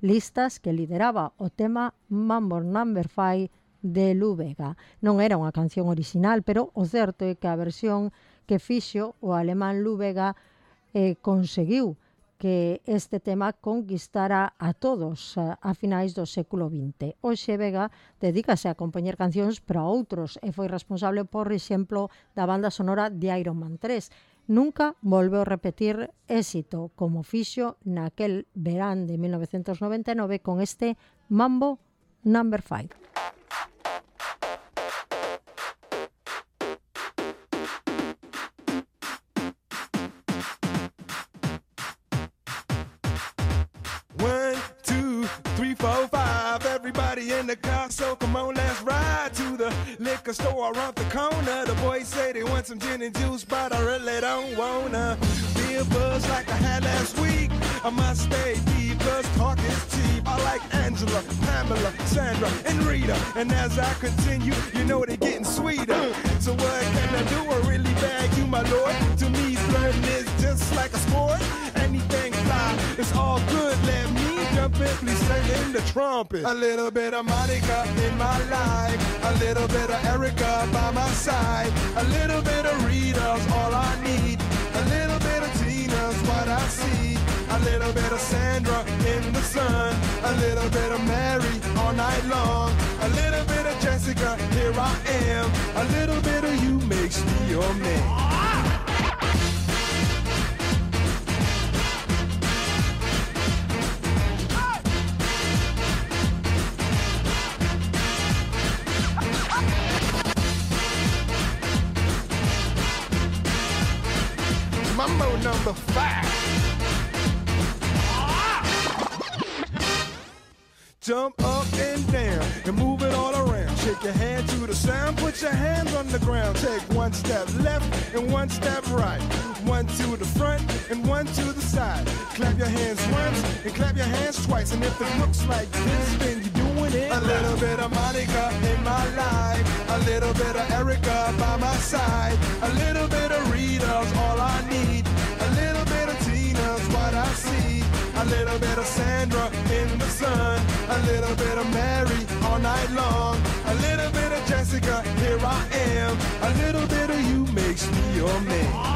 listas que lideraba o tema Mambo number five de Lu Vega. Non era unha canción original, pero o certo é que a versión que fixo o alemán Lu Vega eh, conseguiu que este tema conquistara a todos a, a finais do século vinte. Hoxe Vega dedícase a compoñer cancións para outros e foi responsable, por exemplo, da banda sonora de Iron Man tres. Nunca volveu repetir éxito como fixo naquel verán de mil novecentos noventa e nove con este Mambo number five. One, two, three, four, five. Everybody in the car, so come on, let's ride to the liquor store around the corner. The boys say they want some gin and juice, but I really don't wanna be a buzz like I had last week. I must stay deep, cause talk is cheap. I like Angela, Pamela, Sandra, and Rita. And as I continue, you know they're getting sweeter. So what can I do? I really bag you, my lord. To me, flirting is just like a sport. Anything fly, it's all good. Let me jump in, please sing in the trumpet. A little bit of Monica in my life, a little bit of Erica by my side, a little bit of Rita's all I need, a little bit of Tina's what I see, a little bit of Sandra in the sun, a little bit of Mary all night long, a little bit of Jessica, here I am, a little bit of you makes me your man. Mambo number five. Jump up and down and move it all around. Shake your hand to the sound, put your hands on the ground. Take one step left and one step right. One to the front and one to the side. Clap your hands once and clap your hands twice. And if it looks like this, then you're doing it. A little bit of Monica in my life, a little bit of Erica by my side, a little bit of Rita's all I need, a little bit of Tina's what I see, a little bit of Sandra in the sun, a little bit of Mary all night long, a little bit of Jessica, here I am, a little bit of you makes me your man.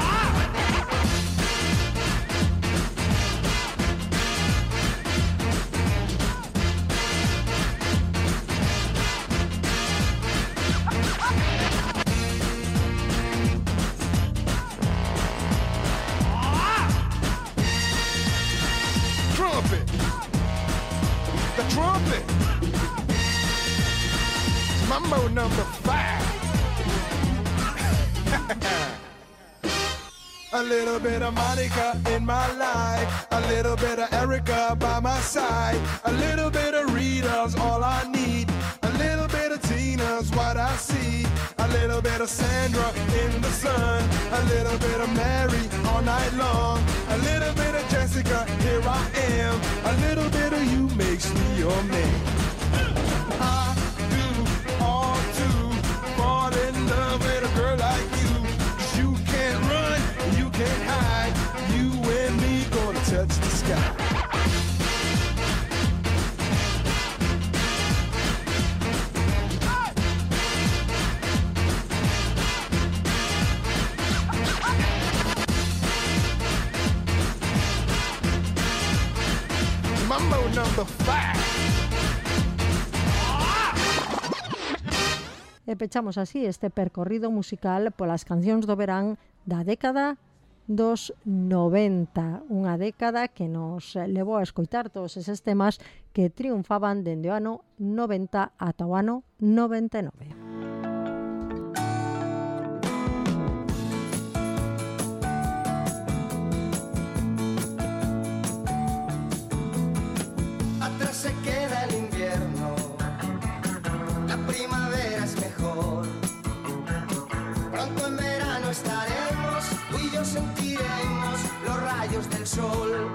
Trumpet, the trumpet, Mambo number five. A little bit of Monica in my life, a little bit of Erica by my side, a little bit of Rita's all I need, a little bit of Tina's what I see, a little bit of Sandra in the sun, a little bit of Mary all night long, a little bit of Jessica, here I am, a little bit of you makes me your man. I do all to fall in love with a girl like you, 'cause you can't run, you can't hide, you and me gonna touch the sky. Mambo number five. E pechamos así este percorrido musical polas cancións do verán da década dos noventa, unha década que nos levou a escoitar todos eses temas que triunfaban dende o ano noventa ata o ano noventa e nove. Atrás se queda el invierno, la primavera es mejor. Pronto en verano estaremos, tú y yo sentiremos los rayos del sol.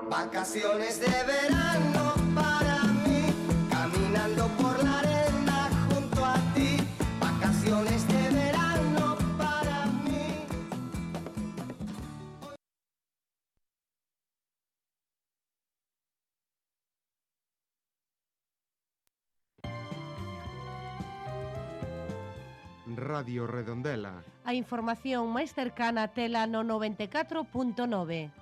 Vacaciones de verano para mí, caminando por la arena junto a ti. Vacaciones de verano para mí. Radio Redondela. A información máis cercana tela no noventa e catro punto nove.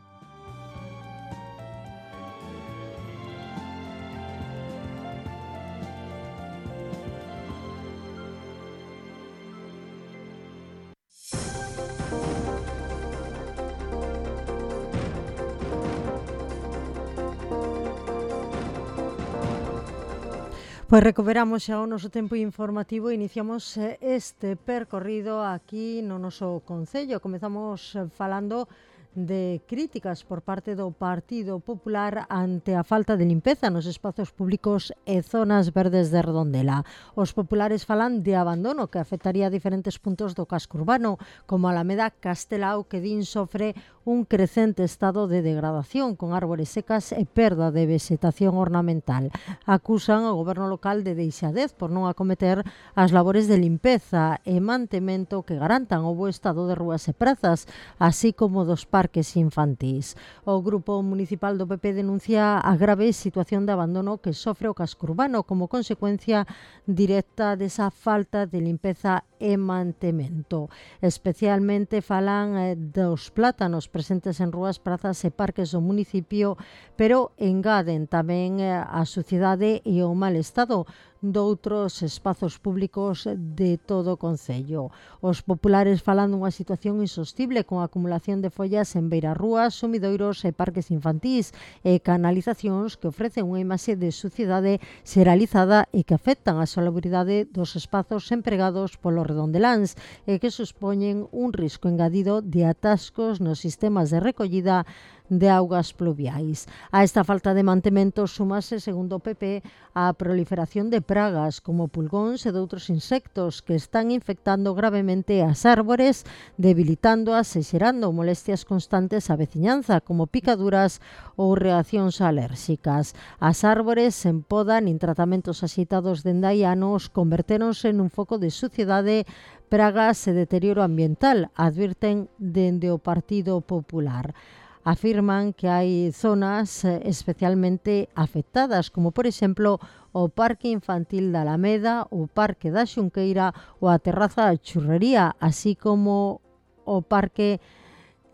Pois recuperamos xa o noso tempo informativo e iniciamos este percorrido aquí no noso concello. Comezamos falando de críticas por parte do Partido Popular ante a falta de limpeza nos espazos públicos e zonas verdes de Redondela. Os populares falan de abandono que afectaría diferentes puntos do casco urbano, como Alameda Castelao, que din sofre un crecente estado de degradación con árbores secas e perda de vegetación ornamental. Acusan ao goberno local de deixadez por non acometer as labores de limpeza e mantemento que garantan o bo estado de rúas e prazas, así como dos parques infantís. O Grupo Municipal do P P denuncia a grave situación de abandono que sofre o casco urbano como consecuencia directa desa falta de limpeza e mantemento. Especialmente falan eh, dos plátanos presentes en rúas, prazas e parques do municipio, pero engaden tamén eh, a suciedade e o mal estado doutros espazos públicos de todo o concello. Os populares falan dunha situación insostible con acumulación de follas en beirarrúas, sumidoiros e parques infantís e canalizacións que ofrecen unha imaxe de suciedade xeralizada e que afectan a salubridade dos espazos empregados polo redondeláns e que suspoñen un risco engadido de atascos nos sistemas de recollida de augas pluviais. A esta falta de mantemento súmase, segundo o P P, a proliferación de pragas como pulgóns e de outros insectos que están infectando gravemente as árbores, debilitándoas e xerando molestias constantes á veciñanza, como picaduras ou reaccións alérxicas. As árbores sen poda nin tratamentos axeitados dende hai anos convertéronse nun foco de suciedade, pragas e deterioro ambiental, advirten dende o Partido Popular. Afirman que hai zonas especialmente afectadas, como por exemplo o Parque Infantil da Alameda, o Parque da Xunqueira ou a Terraza da Churrería, así como o Parque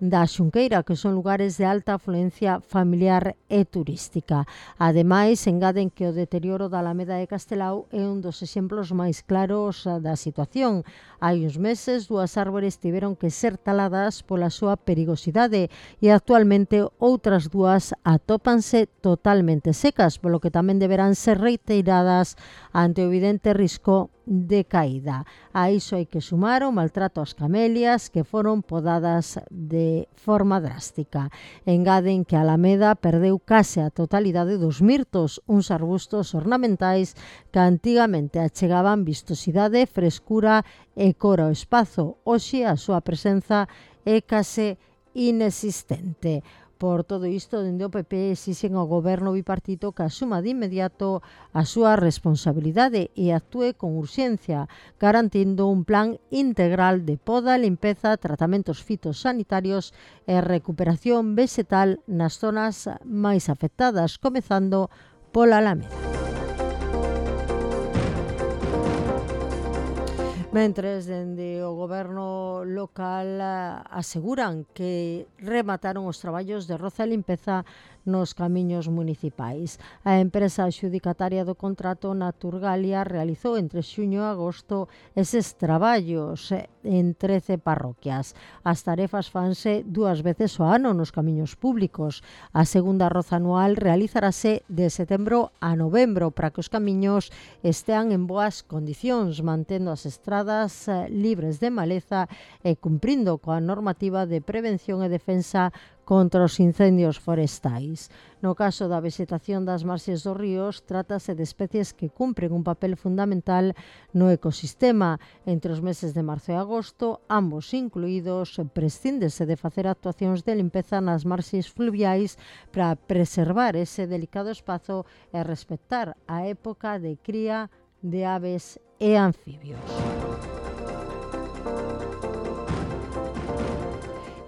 da Xunqueira, que son lugares de alta afluencia familiar e turística. Ademais, engaden que o deterioro da Alameda de Castelao é un dos exemplos máis claros da situación. Hai uns meses, dúas árbores tiveron que ser taladas pola súa perigosidade e actualmente outras dúas atópanse totalmente secas, polo que tamén deberán ser reiteradas ante o evidente risco de caída. A iso hai que sumar o maltrato ás camelias que foron podadas de forma drástica. Engaden que a Alameda perdeu case a totalidade dos mirtos, uns arbustos ornamentais que antigamente achegaban vistosidade, frescura e cor ao espazo. Hoxe a súa presenza é case inexistente. Por todo isto, dende o P P exixen ao goberno bipartito que asuma de inmediato a súa responsabilidade e actúe con urxencia, garantindo un plan integral de poda, limpeza, tratamentos fitosanitarios e recuperación vegetal nas zonas máis afectadas, comezando pola Alameda. Mentres, dende o goberno local aseguran que remataron os traballos de roza e limpeza nos camiños municipais. A empresa adxudicataria do contrato Naturgalia realizou entre xuño e agosto eses traballos en trece parroquias. As tarefas fanse dúas veces ao ano nos camiños públicos. A segunda roza anual realizarase de setembro a novembro para que os camiños estean en boas condicións, mantendo as estradas libres de maleza e cumprindo coa normativa de prevención e defensa contra os incendios forestais. No caso da vegetación das marxes dos ríos, trátase de especies que cumpren un papel fundamental no ecosistema. Entre os meses de marzo e agosto, ambos incluídos, prescíndese de facer actuacións de limpeza nas marxes fluviais para preservar ese delicado espazo e respectar a época de cría de aves e anfibios.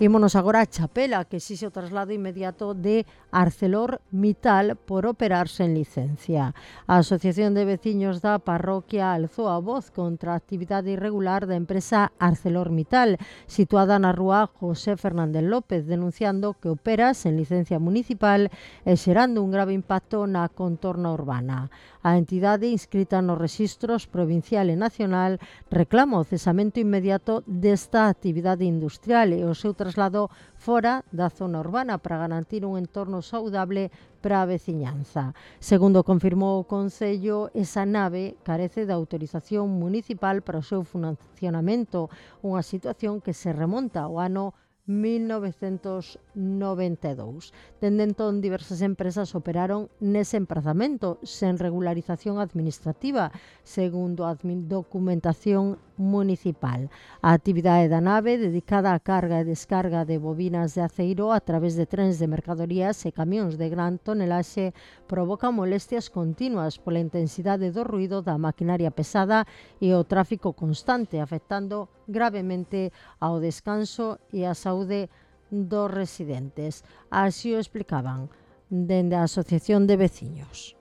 Ímonos agora a Chapela, que exixe o traslado inmediato de ArcelorMittal por operar sen licencia. A Asociación de Veciños da parroquia alzou a voz contra a actividade irregular da empresa ArcelorMittal, situada na rúa José Fernández López, denunciando que opera sen licencia municipal e xerando un grave impacto na contorna urbana. A entidade inscrita nos rexistros provincial e nacional reclama o cesamento inmediato desta actividade industrial e o seu traslado fora da zona urbana para garantir un entorno saudable para a veciñanza. Segundo confirmou o Concello, esa nave carece de autorización municipal para o seu funcionamento, unha situación que se remonta ao ano mil novecentos noventa e dous. Dende entón, diversas empresas operaron nese emprazamento sen regularización administrativa, segundo a documentación municipal. A actividade da nave, dedicada á carga e descarga de bobinas de aceiro a través de trens de mercadorías e camións de gran tonelaxe, provoca molestias continuas pola intensidade do ruído da maquinaria pesada e o tráfico constante, afectando gravemente ao descanso e á saúde dos residentes. Así o explicaban dende a Asociación de Veciños.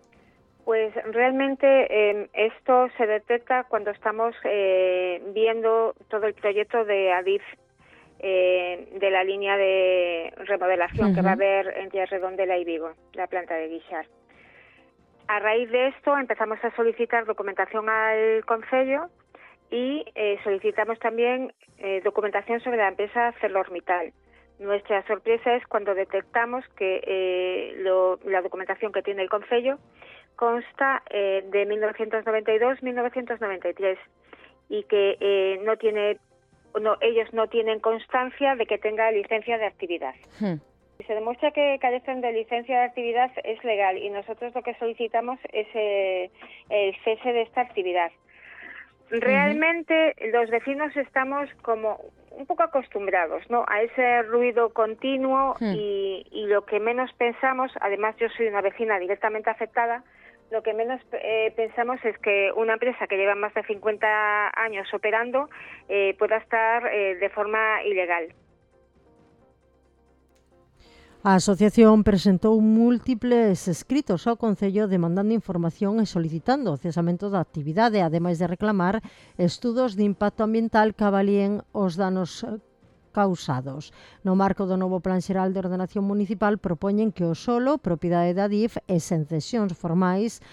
Pues realmente eh, esto se detecta cuando estamos eh, viendo todo el proyecto de Adif, eh, de la línea de remodelación uh-huh. que va a haber entre Redondela y Vigo, la planta de Guixar. A raíz de esto empezamos a solicitar documentación al Concello y eh, solicitamos también eh, documentación sobre la empresa ArcelorMittal. Nuestra sorpresa es cuando detectamos que eh, lo, la documentación que tiene el Concello consta eh, de mil novecientos noventa y dos a mil novecientos noventa y tres y que eh, no tiene, no, ellos no tienen constancia de que tenga licencia de actividad. Hmm. Si se demuestra que carecen de licencia de actividad es legal y nosotros lo que solicitamos es eh, el cese de esta actividad. Realmente uh-huh. los vecinos estamos como un poco acostumbrados, ¿no?, a ese ruido continuo uh-huh. y, y lo que menos pensamos, además yo soy una vecina directamente afectada, lo que menos eh, pensamos es que una empresa que lleva más de cincuenta años operando eh, pueda estar eh, de forma ilegal. A asociación presentou múltiples escritos ao Concello demandando información e solicitando o cesamento da actividade, ademais de reclamar estudos de impacto ambiental que avalíen os danos causados. No marco do novo Plan Xeral de Ordenación Municipal propoñen que o solo, propiedade da Adif e sen cesións formais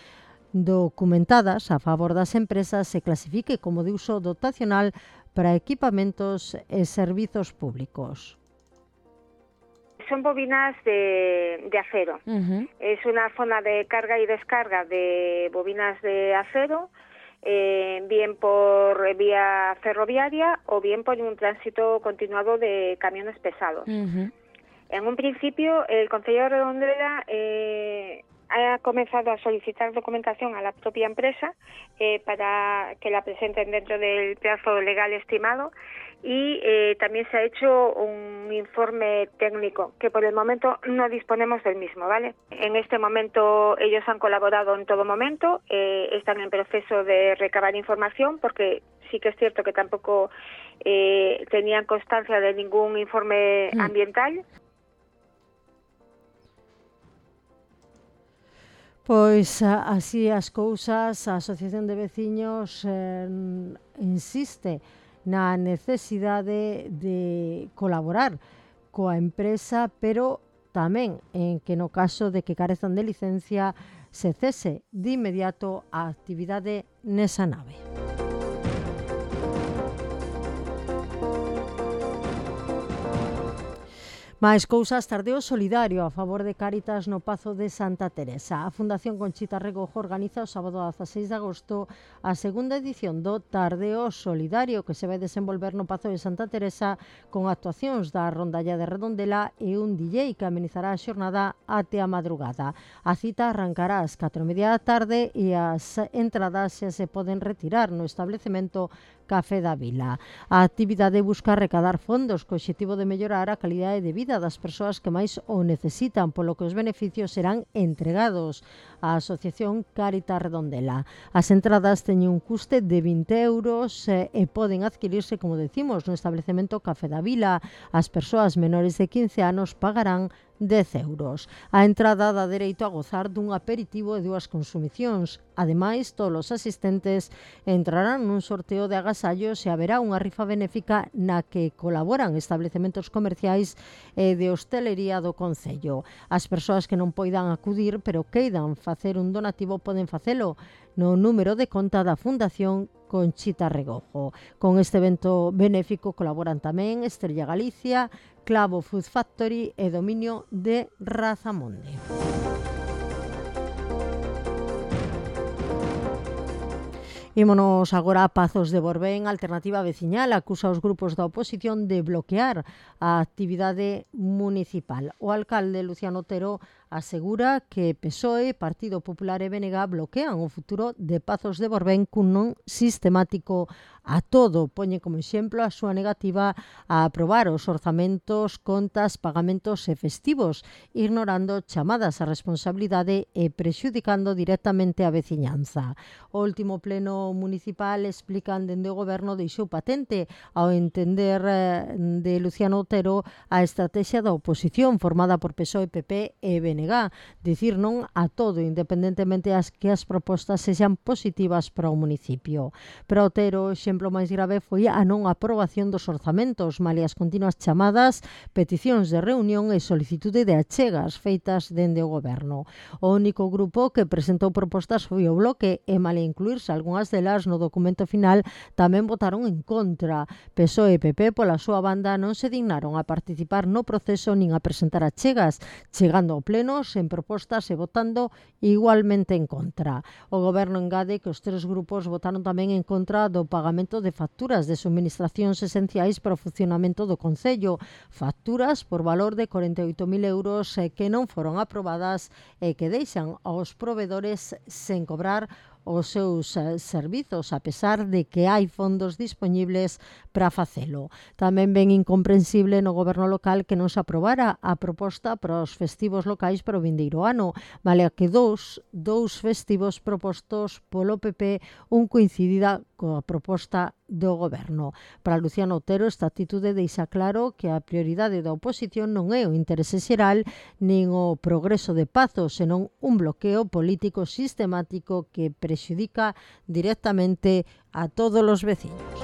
documentadas a favor das empresas se clasifique como de uso dotacional para equipamentos e servizos públicos. Son bobinas de, de acero. Uh-huh. Es una zona de carga y descarga de bobinas de acero, eh, bien por vía ferroviaria o bien por un tránsito continuado de camiones pesados. Uh-huh. En un principio, el Concello de Redondela eh, ha comenzado a solicitar documentación a la propia empresa eh, para que la presenten dentro del plazo legal estimado. Y eh, también se ha hecho un informe técnico que por el momento no disponemos del mismo, ¿vale? En este momento ellos han colaborado en todo momento, eh, están en proceso de recabar información porque sí que es cierto que tampoco eh, tenían constancia de ningún informe mm. ambiental. Pois así as cousas, a Asociación de Veciños eh, insiste na necesidade de colaborar coa empresa, pero tamén en que no caso de que carezan de licencia se cese de inmediato a actividade nesa nave. Mais cousas, tardeo solidario a favor de Cáritas no Pazo de Santa Teresa. A Fundación Conchita Regojo organiza o sábado dezaseis de agosto a segunda edición do Tardeo Solidario que se vai desenvolver no Pazo de Santa Teresa con actuacións da Rondalla de Redondela e un D J que amenizará a xornada até a madrugada. A cita arrancará ás catro e media da tarde e as entradas xa se poden retirar no establecemento Café da Vila. A actividade busca recadar fondos co obxectivo de mellorar a calidade de vida das persoas que máis o necesitan, polo que os beneficios serán entregados a Asociación Cáritas Redondela. As entradas teñen un custe de vinte euros eh, e poden adquirirse, como decimos, no establecemento Café da Vila. As persoas menores de quince anos pagarán dez euros. A entrada dá dereito a gozar dun aperitivo e dúas consumicións. Ademais, todos os asistentes entrarán nun sorteo de agasallos e haberá unha rifa benéfica na que colaboran establecementos comerciais e de hostelería do Concello. As persoas que non poidan acudir pero queidan facer un donativo poden facelo no número de conta da Fundación Conchita Regojo. Con este evento benéfico colaboran tamén Estrella Galicia, Clavo Food Factory e Dominio de Razamonde. Ímonos agora a Pazos de Borbén. Alternativa Veciñal acusa os grupos da oposición de bloquear a actividade municipal. O alcalde Luciano Otero asegura que P S O E, Partido Popular e B N G bloquean o futuro de Pazos de Borbén cun non sistemático a todo. Poñe como exemplo a súa negativa a aprobar os orzamentos, contas, pagamentos e festivos, ignorando chamadas a responsabilidade e prexudicando directamente a veciñanza. O último pleno municipal, explican dende o goberno, deixou patente ao entender de Luciano Otero a estrategia da oposición formada por P S O E, P P e B N G. Dicir non a todo, independentemente as que as propostas sexan positivas para o municipio. Para Otero, o exemplo máis grave foi a non aprobación dos orzamentos, malia as continuas chamadas, peticións de reunión e solicitude de achegas feitas dende o goberno. O único grupo que presentou propostas foi o Bloque e, malia incluirse algunhas delas no documento final, tamén votaron en contra. P S O E e P P, pola súa banda, non se dignaron a participar no proceso nin a presentar achegas, chegando ao pleno sen propostas e votando igualmente en contra. O goberno engade que os tres grupos votaron tamén en contra do pagamento de facturas de suministracións esenciais para o funcionamento do Concello, facturas por valor de corenta e oito mil euros que non foron aprobadas e que deixan aos provedores sen cobrar os seus eh, servizos, a pesar de que hai fondos dispoñibles para facelo. Tamén ben incomprensible no goberno local que non se aprobara a proposta para os festivos locais para o vindeiro ano, malia que dous, dous festivos propostos polo P P, un coincidida coa proposta do goberno. Para Luciano Otero, esta atitude deixa claro que a prioridade da oposición non é o interese xeral nin o progreso de Pazos, senón un bloqueo político sistemático que prexudica directamente a todos os veciños.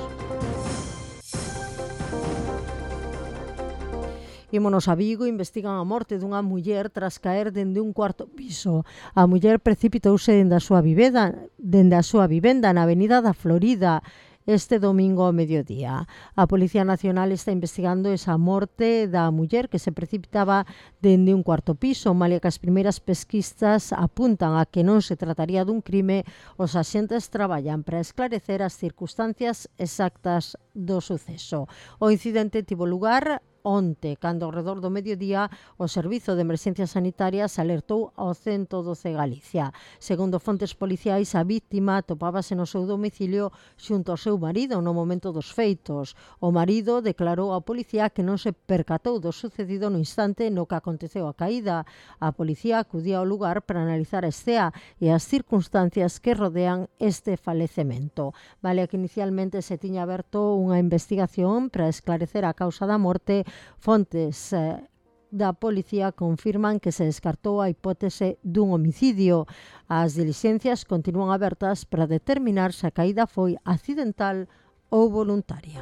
Ímonos a Vigo. Investigan a morte dunha muller tras caer dende un cuarto piso. A muller precipitouse dende a súa vivenda, dende a súa vivenda na Avenida da Florida este domingo ao mediodía. A Policía Nacional está investigando esa morte da muller que se precipitaba dende un cuarto piso, malia que as primeiras pesquisas apuntan a que non se trataría dun crime. Os axentes traballan para esclarecer as circunstancias exactas do suceso. O incidente tivo lugar onte, cando ao redor do mediodía o Servizo de Emerxencias Sanitarias alertou ao ciento doce Galicia. Segundo fontes policiais, a víctima topábase no seu domicilio xunto ao seu marido no momento dos feitos. O marido declarou á policía que non se percatou do sucedido no instante no que aconteceu a caída. A policía acudía ao lugar para analizar a escena e as circunstancias que rodean este falecemento. Vale que inicialmente se tiña aberto unha investigación para esclarecer a causa da morte. Fontes eh, da policía confirman que se descartou a hipótese dun homicidio. As dilixencias continúan abertas para determinar se a caída foi accidental ou voluntaria.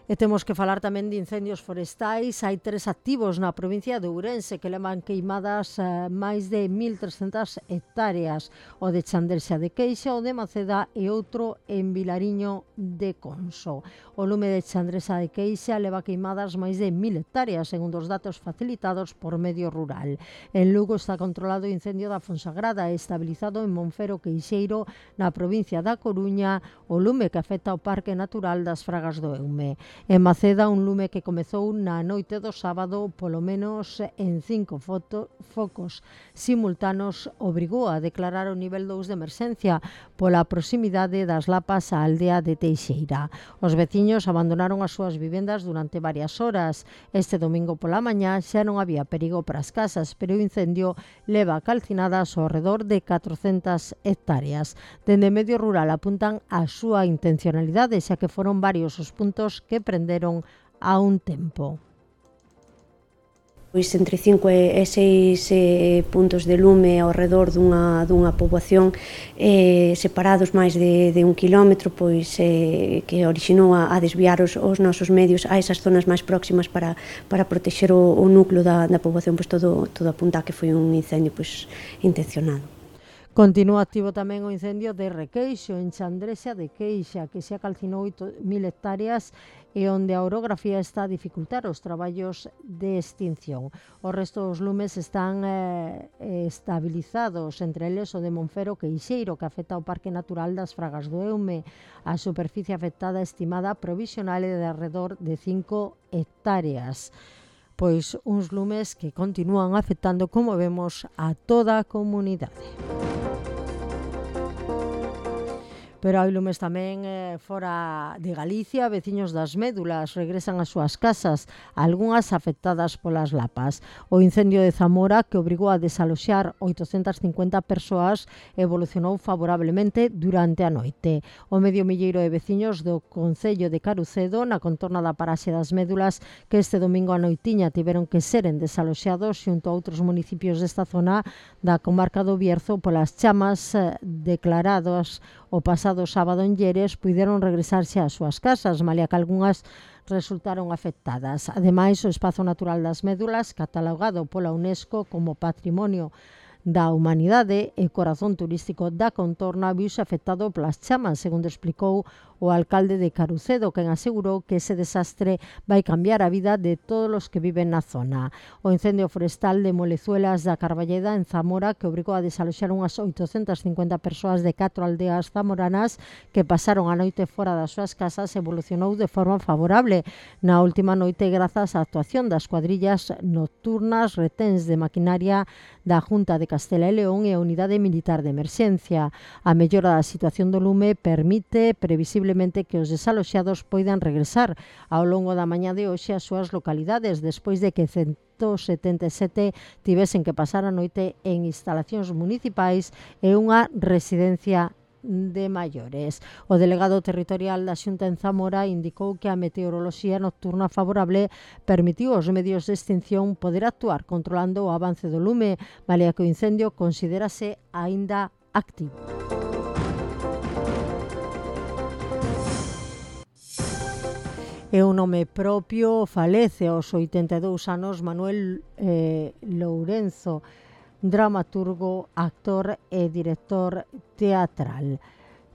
E temos que falar tamén de incendios forestais. Hai tres activos na provincia de Ourense que levan queimadas eh, máis de mil trescentas hectáreas. O de Chandrexa de Queixa, o de Maceda e outro en Vilariño de Conso. O lume de Chandrexa de Queixa leva queimadas máis de mil hectáreas, segundo os datos facilitados por Medio Rural. En Lugo está controlado o incendio da Fonsagrada e estabilizado en Monfero Queixeiro, na provincia da Coruña, o lume que afecta ao Parque Natural das Fragas do Eume. En Maceda, un lume que comezou na noite do sábado, polo menos en cinco foto, focos simultáneos, obrigou a declarar o nivel dous de emerxencia pola proximidade das lapas á aldea de Teixeira. Os veciños abandonaron as súas vivendas durante varias horas. Este domingo pola mañá xa non había perigo para as casas, pero o incendio leva calcinadas ao redor de catrocentas hectáreas. Dende Medio Rural apuntan a súa intencionalidade, xa que foron varios os puntos que prenderon a un tempo. Pois entre cinco e seis eh, puntos de lume ao redor dunha, dunha poboación eh, separados máis de, de un quilómetro, pois eh, que orixinou a, a desviar os, os nosos medios a esas zonas máis próximas para, para protexer o, o núcleo da, da poboación. Pois todo, todo apunta a que foi un incendio pois, intencionado. Continúa activo tamén o incendio de Requeixo, en Chandrexa de Queixa, que xa calcinou oito mil hectáreas e onde a orografía está a dificultar os traballos de extinción. O resto dos lumes están eh, estabilizados, entre eles o de Monfero Queixeiro, que afecta ao Parque Natural das Fragas do Eume. A superficie afectada estimada provisional é de alrededor de cinco hectáreas. Pois uns lumes que continúan afectando, como vemos, a toda a comunidade. Pero hai lumes tamén eh, fora de Galicia. Veciños das Médulas regresan ás súas casas, algunhas afectadas polas lapas. O incendio de Zamora, que obrigou a desaloxar oitocentas cincuenta persoas, evolucionou favorablemente durante a noite. O medio milleiro de veciños do Concello de Carucedo, na contorna da paraxe das Médulas, que este domingo a noitiña tiveron que seren desaloxados xunto a outros municipios desta zona da comarca do Bierzo polas chamas eh, declaradas o pasado sábado en Lleres, puideron regresarse ás súas casas, malia que algunhas resultaron afectadas. Ademais, o Espazo Natural das Médulas, catalogado pola UNESCO como Patrimonio da Humanidade e corazón turístico da contorna, viuse afectado polas chamas, segundo explicou o alcalde de Carucedo, quen asegurou que ese desastre vai cambiar a vida de todos os que viven na zona. O incendio forestal de Molezuelas da Carballeda, en Zamora, que obrigou a desaloxar unhas oitocentas cincuenta persoas de catro aldeas zamoranas que pasaron a noite fora das súas casas, evolucionou de forma favorable na última noite grazas á actuación das cuadrillas nocturnas, reténs de maquinaria da Junta de Castela e León e a Unidade Militar de Emerxencia. A mellora da situación do lume permite previsiblemente que os desaloxados poidan regresar ao longo da mañá de hoxe ás súas localidades, despois de que ciento setenta e sete tivesen que pasar a noite en instalacións municipais e unha residencia de maiores. O delegado territorial da Xunta en Zamora indicou que a meteoroloxía nocturna favorable permitiu aos medios de extinción poder actuar controlando o avance do lume, malia que o incendio considérase aínda activo. É un nome propio, falece aos oitenta e dous anos Manuel eh, Lourenzo, dramaturgo, actor e director teatral.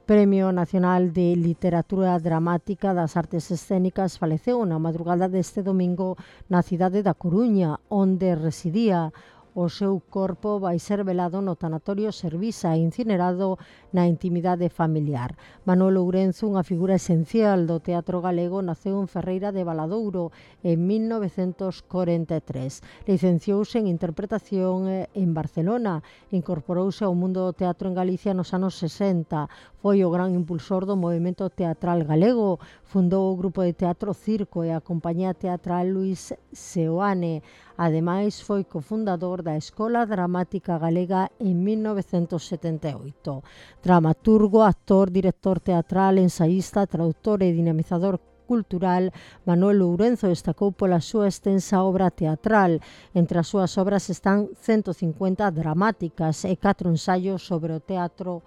Premio Nacional de Literatura Dramática das Artes Escénicas, faleceu na madrugada deste domingo na cidade da Coruña, onde residía. O seu corpo vai ser velado no tanatorio Servisa e incinerado na intimidade familiar. Manuel Lourenzo, unha figura esencial do teatro galego, naceu en Ferreira de Valadouro en mil novecentos corenta e tres. Licenciouse en interpretación en Barcelona, incorporouse ao mundo do teatro en Galicia nos anos sesenta. Foi o gran impulsor do movimento teatral galego, fundou o grupo de teatro Circo e a compañía teatral Luis Seoane. Ademais, foi cofundador da Escola Dramática Galega en mil novecentos setenta e oito. Dramaturgo, actor, director teatral, ensaísta, traductor e dinamizador cultural, Manuel Lourenzo destacou pola súa extensa obra teatral. Entre as súas obras están ciento cincuenta dramáticas e catro ensaios sobre o teatro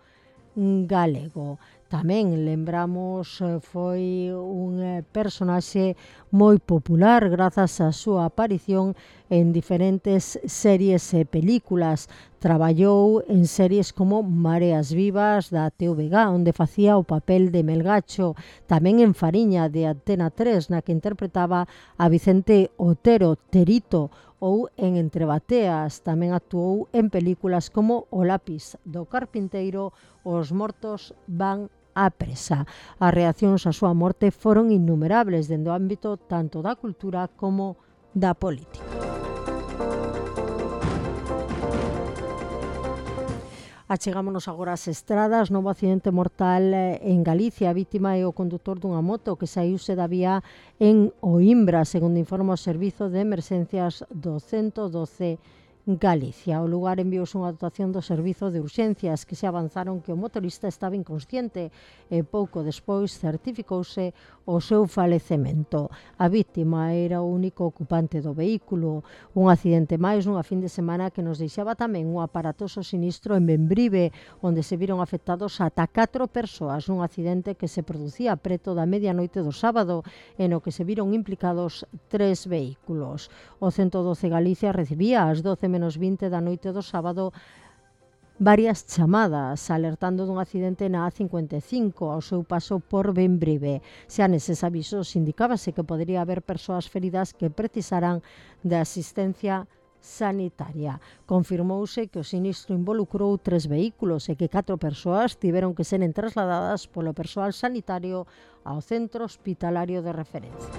galego. Tamén lembramos, foi un personaxe moi popular grazas á súa aparición en diferentes series e películas. Traballou en series como Mareas Vivas da T V G, onde facía o papel de Melgacho, tamén en Fariña de Antena tres, na que interpretaba a Vicente Otero, Terito, ou en Entre Bateas. Tamén actuou en películas como O Lápis do Carpinteiro, Os Mortos van á presa. As reaccións á súa morte foron innumerables dende o ámbito tanto da cultura como da política. Achegámonos agora ás estradas. Novo accidente mortal en Galicia. A vítima é o condutor dunha moto que saíuse da vía en Oimbra, segundo informa o Servizo de Emerxencias do ciento doce Galicia. Ao lugar enviouse unha dotación do Servizo de Urxencias que se avanzaron que o motorista estaba inconsciente e pouco despois certificouse o seu falecemento. A vítima era o único ocupante do vehículo. Un accidente máis nunha fin de semana que nos deixaba tamén un aparatoso sinistro en Bembrive, onde se viron afectados ata catro persoas nun accidente que se producía preto da medianoite do sábado e no que se viron implicados tres vehículos. O ciento doce Galicia recibía ás doce menos vinte da noite do sábado varias chamadas alertando dun accidente na A cincuenta e cinco ao seu paso por Bembrive. Xa neses avisos indicábase que podería haber persoas feridas que precisaran de asistencia sanitaria. Confirmouse que o sinistro involucrou tres vehículos e que catro persoas tiveron que seren trasladadas polo persoal sanitario ao centro hospitalario de referencia.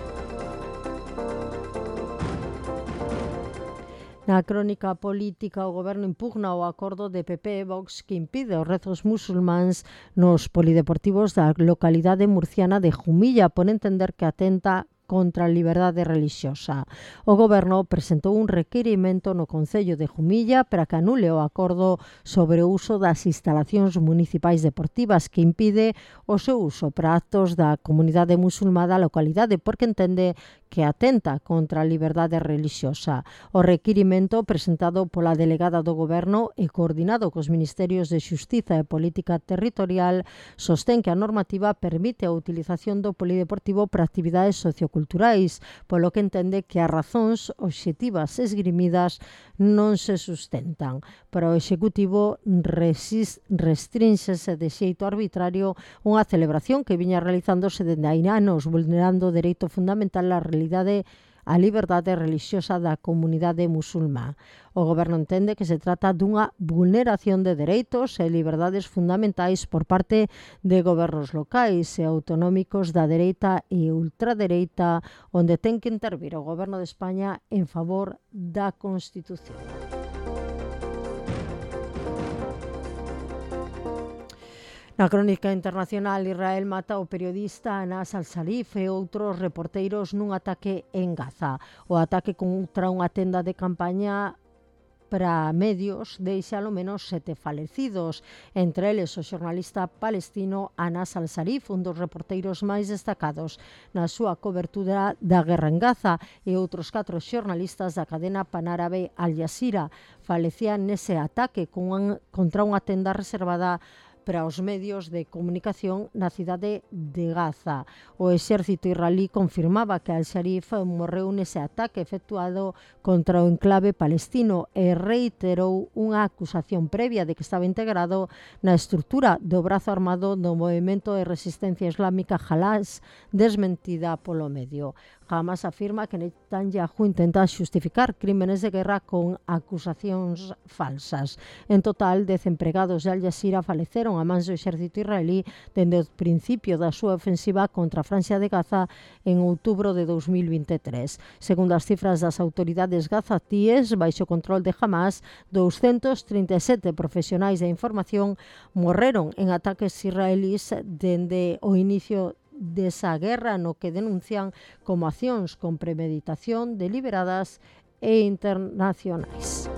Na crónica política, o goberno impugna o acordo de P P e Vox que impide os rezos musulmáns nos polideportivos da localidade murciana de Jumilla por entender que atenta contra a liberdade relixiosa. O goberno presentou un requirimento no Concello de Jumilla para que anule o acordo sobre o uso das instalacións municipais deportivas que impide o seu uso para actos da comunidade musulmá da localidade porque entende que atenta contra a liberdade relixiosa. O requirimento presentado pola delegada do goberno e coordinado cos Ministerios de Xustiza e Política Territorial sostén que a normativa permite a utilización do polideportivo para actividades socioculturais, polo que entende que as razóns obxectivas esgrimidas non se sustentan. Para o Executivo restrínxese de xeito arbitrario unha celebración que viña realizándose dende hai anos vulnerando o dereito fundamental á realidade a liberdade relixiosa da comunidade musulmá. O goberno entende que se trata dunha vulneración de dereitos e liberdades fundamentais por parte de gobernos locais e autonómicos da dereita e ultradereita, onde ten que intervir o goberno de España en favor da Constitución. Na crónica internacional, Israel mata o periodista Anas al-Sharif e outros reporteiros nun ataque en Gaza. O ataque contra unha tenda de campaña para medios deixa ao menos sete falecidos, entre eles o xornalista palestino Anas al-Sharif, un dos reporteiros máis destacados na súa cobertura da guerra en Gaza, e outros catro xornalistas da cadena panárabe Al Jazeera falecían nese ataque contra unha tenda reservada para os medios de comunicación na cidade de Gaza. O exército israelí confirmaba que al-Sharif morreu nese ataque efectuado contra o enclave palestino e reiterou unha acusación previa de que estaba integrado na estrutura do brazo armado do movemento de resistencia islámica Hamas, desmentida polo medio. Hamas afirma que Netanyahu intenta xustificar crímenes de guerra con acusacións falsas. En total, dez empregados de Al Jazeera faleceron a mans do exército israelí dende o principio da súa ofensiva contra a Franja de Gaza en outubro de dos mil vinte e tres. Segundo as cifras das autoridades gazatíes, baixo control de Hamas, doscientos trinta e sete profesionais da información morreron en ataques israelís dende o inicio desa guerra, no que denuncian como accións con premeditación, deliberadas e internacionais.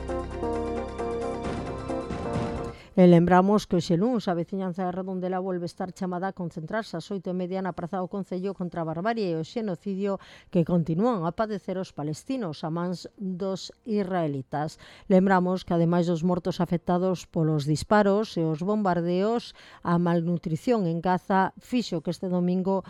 E lembramos que hoxe luns a veciñanza de Redondela volve estar chamada a concentrarse ás oito e media na Praza do Concello contra a barbarie e o xenocidio que continúan a padecer os palestinos a mans dos israelitas. Lembramos que, ademais dos mortos afectados polos disparos e os bombardeos, a malnutrición en Gaza fixo que este domingo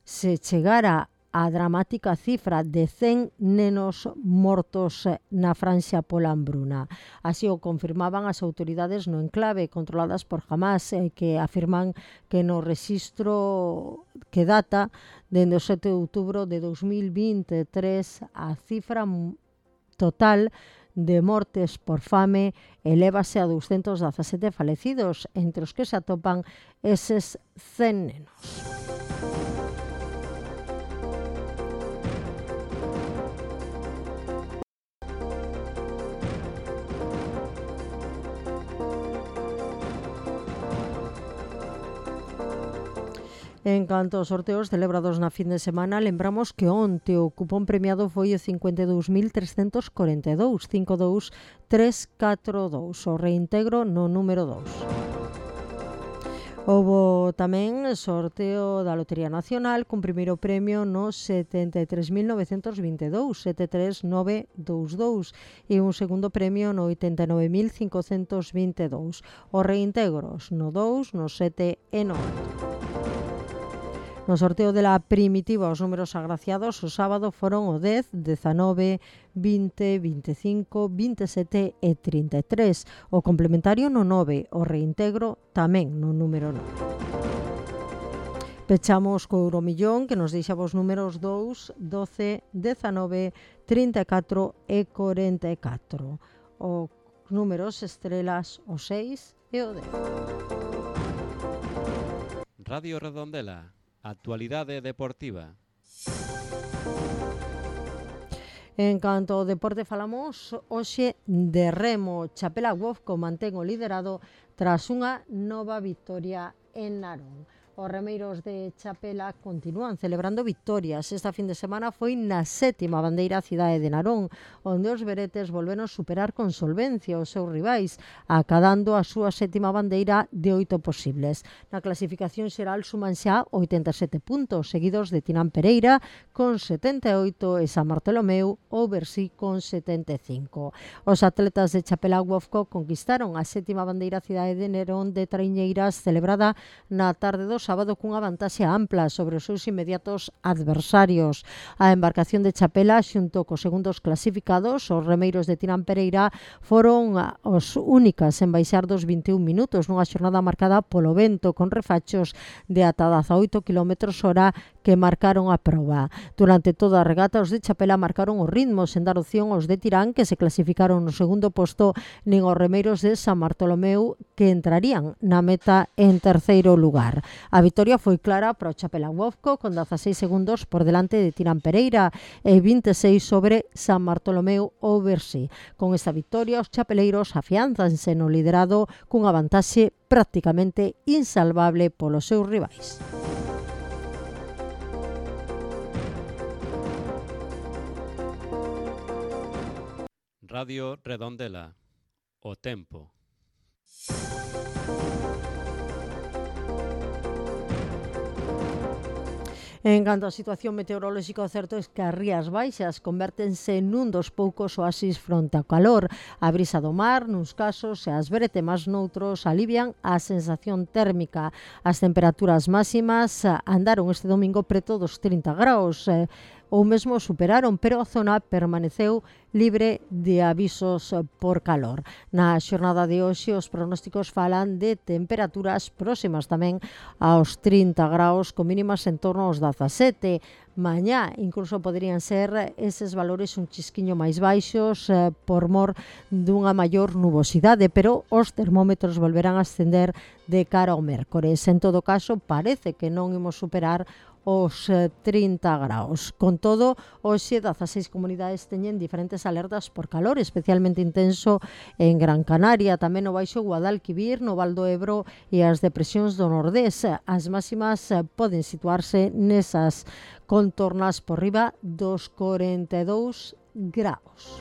se chegara a dramática cifra de cen nenos mortos na Franxa pola hambruna. Así o confirmaban as autoridades no enclave controladas por Hamas, eh, que afirman que no rexistro que data dende o sete de outubro de dos mil vinte e tres a cifra total de mortes por fame elévase a doscientos dezasete falecidos, entre os que se atopan eses cen nenos. En canto aos sorteos celebrados na fin de semana, lembramos que onte o cupón premiado foi o cincuenta e dous mil trescentos corenta e dous, cinco dous tres catro dous, o reintegro no número dous. Houbo tamén sorteo da Lotería Nacional cun primeiro premio no setenta e tres mil novecentos vinte e dous, sete tres nove dous dous, e un segundo premio no oitenta e nove mil cincocentos vinte e dous. Os reintegros no dous, no sete e nove. No sorteo de la primitiva os números agraciados o sábado foron o dez, dezanove, vinte, veinticinco, veintisiete e trinta e tres. O complementario no nove, o reintegro tamén no número nove. Pechamos co Euromillón, que nos deixa os números dous, doce, dezanove, trinta e catro e corenta e catro. Os números estrelas o seis e o dez. Radio Redondela. Actualidade deportiva. En canto ao deporte falamos hoxe de remo. Chapela Wofco mantén o liderado tras unha nova vitoria en Narón. Os remeiros de Chapela continúan celebrando victorias. Esta fin de semana foi na sétima bandeira cidade de Narón, onde os veretes volveron superar con solvencia os seus rivais, acadando a súa sétima bandeira de oito posibles. Na clasificación xeral suman xa oitenta e sete puntos, seguidos de Tinán Pereira con setenta e oito e San Bartolomeu ou Bersí con setenta e cinco. Os atletas de Chapela Wofco conquistaron a sétima bandeira cidade de Narón de Traiñeiras, celebrada na tarde dos sábado cunha vantaxe ampla sobre os seus inmediatos adversarios. A embarcación de Chapela, xunto cos segundos clasificados, os remeiros de Tinán Pereira, foron os únicas en baixar dos vinte e un minutos nunha xornada marcada polo vento, con refachos de ata dezaoito kilómetros hora que marcaron a proba. Durante toda a regata, os de Chapela marcaron os ritmos, sen dar opción aos de Tirán, que se clasificaron no segundo posto, nin os remeiros de San Bartolomeu, que entrarían na meta en terceiro lugar. A vitoria foi clara para o Chapela Wofco, con dezaseis segundos por delante de Tirán Pereira e vinte e seis sobre San Bartolomeu ou Bersí. Con esta vitoria, os chapeleiros afianzanse no liderado cunha vantaxe prácticamente insalvable polos seus rivais. Radio Redondela. O tempo. En canto á situación meteorolóxica, o certo é que as rías baixas convértense nun dos poucos oasis fronte ao calor. A brisa do mar, nuns casos, e as bretemas noutros, alivian a sensación térmica. As temperaturas máximas andaron este domingo preto dos trinta graus, eh, ou mesmo superaron, pero a zona permaneceu libre de avisos por calor. Na xornada de hoxe, os pronósticos falan de temperaturas próximas tamén aos trinta graus, con mínimas en torno aos dezasete. Mañá incluso poderían ser eses valores un chisquiño máis baixos eh, por mor dunha maior nubosidade, pero os termómetros volverán a ascender de cara ao mércores. En todo caso, parece que non imos superar os trinta graus. Con todo, hoxe dezaseis comunidades teñen diferentes alertas por calor, especialmente intenso en Gran Canaria, tamén no Baixo Guadalquivir, no Val do Ebro e as depresións do Nordés. As máximas poden situarse nesas contornas por riba dos corenta e dous graus.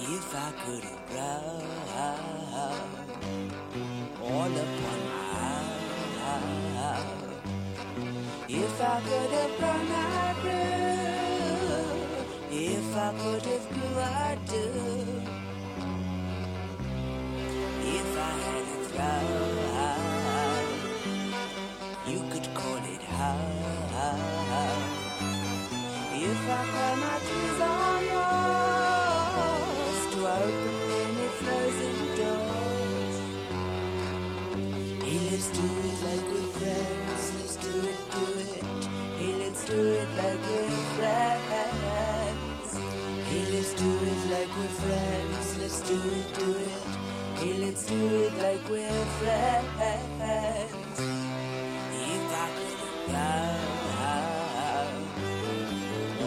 If I could have ground all upon my if I could have grown I grew, if I could have grew I do, if I had a throw I cry, my tears are yours to open any frozen doors. Hey, let's do it like we're friends. Let's do it, do it. Hey, let's do it like we're friends. Hey, let's do it like we're friends. Let's do it, do it. Hey, let's do it like we're friends. If I could have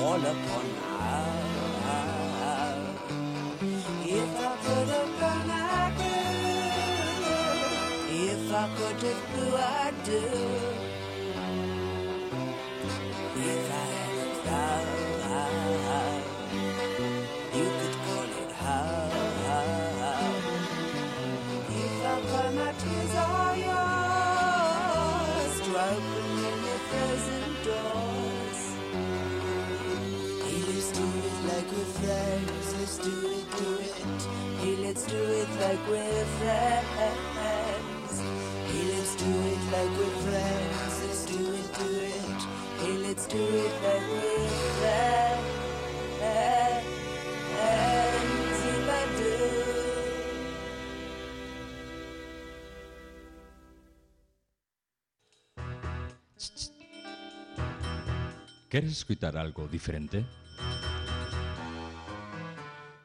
all upon high, if I could have gone, I could. If I could have blue, I'd do. If I had a cloud, you could call it how. If I cry, my tears are yours to open any frozen doors. Hey, let's do it like we're friends. Let's do it, do it. Hey, let's do it like we're friends. Hey, let's do it like we're friends. Let's do it, do it. Hey, let's do it like we're friends. If I do. ¿Quieres escuchar algo diferente?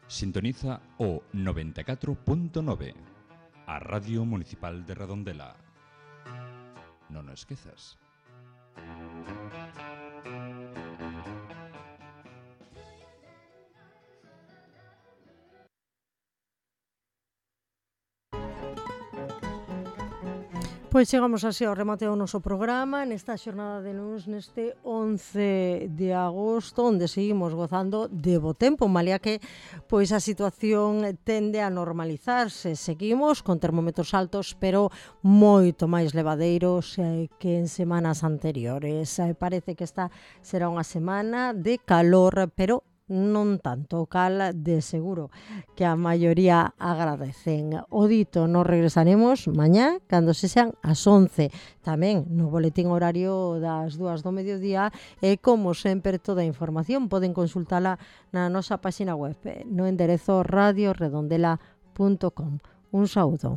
Sintoniza o noventa e catro punto nove, a Radio Municipal de Redondela. Non o esquezas. Pois chegamos así ao remate do noso programa nesta xornada de luns neste once de agosto, onde seguimos gozando de bo tempo, malia que pois a situación tende a normalizarse. Seguimos con termómetros altos, pero moito máis levadeiros eh, que en semanas anteriores. Eh, parece que esta será unha semana de calor, pero non tanto, cal de seguro que a maioría agradecen. O dito, nos regresaremos mañá cando se sean as once, tamén no boletín horario das dúas do mediodía, e como sempre toda a información poden consultala na nosa página web no enderezo radio redondela punto com. Un saúdo.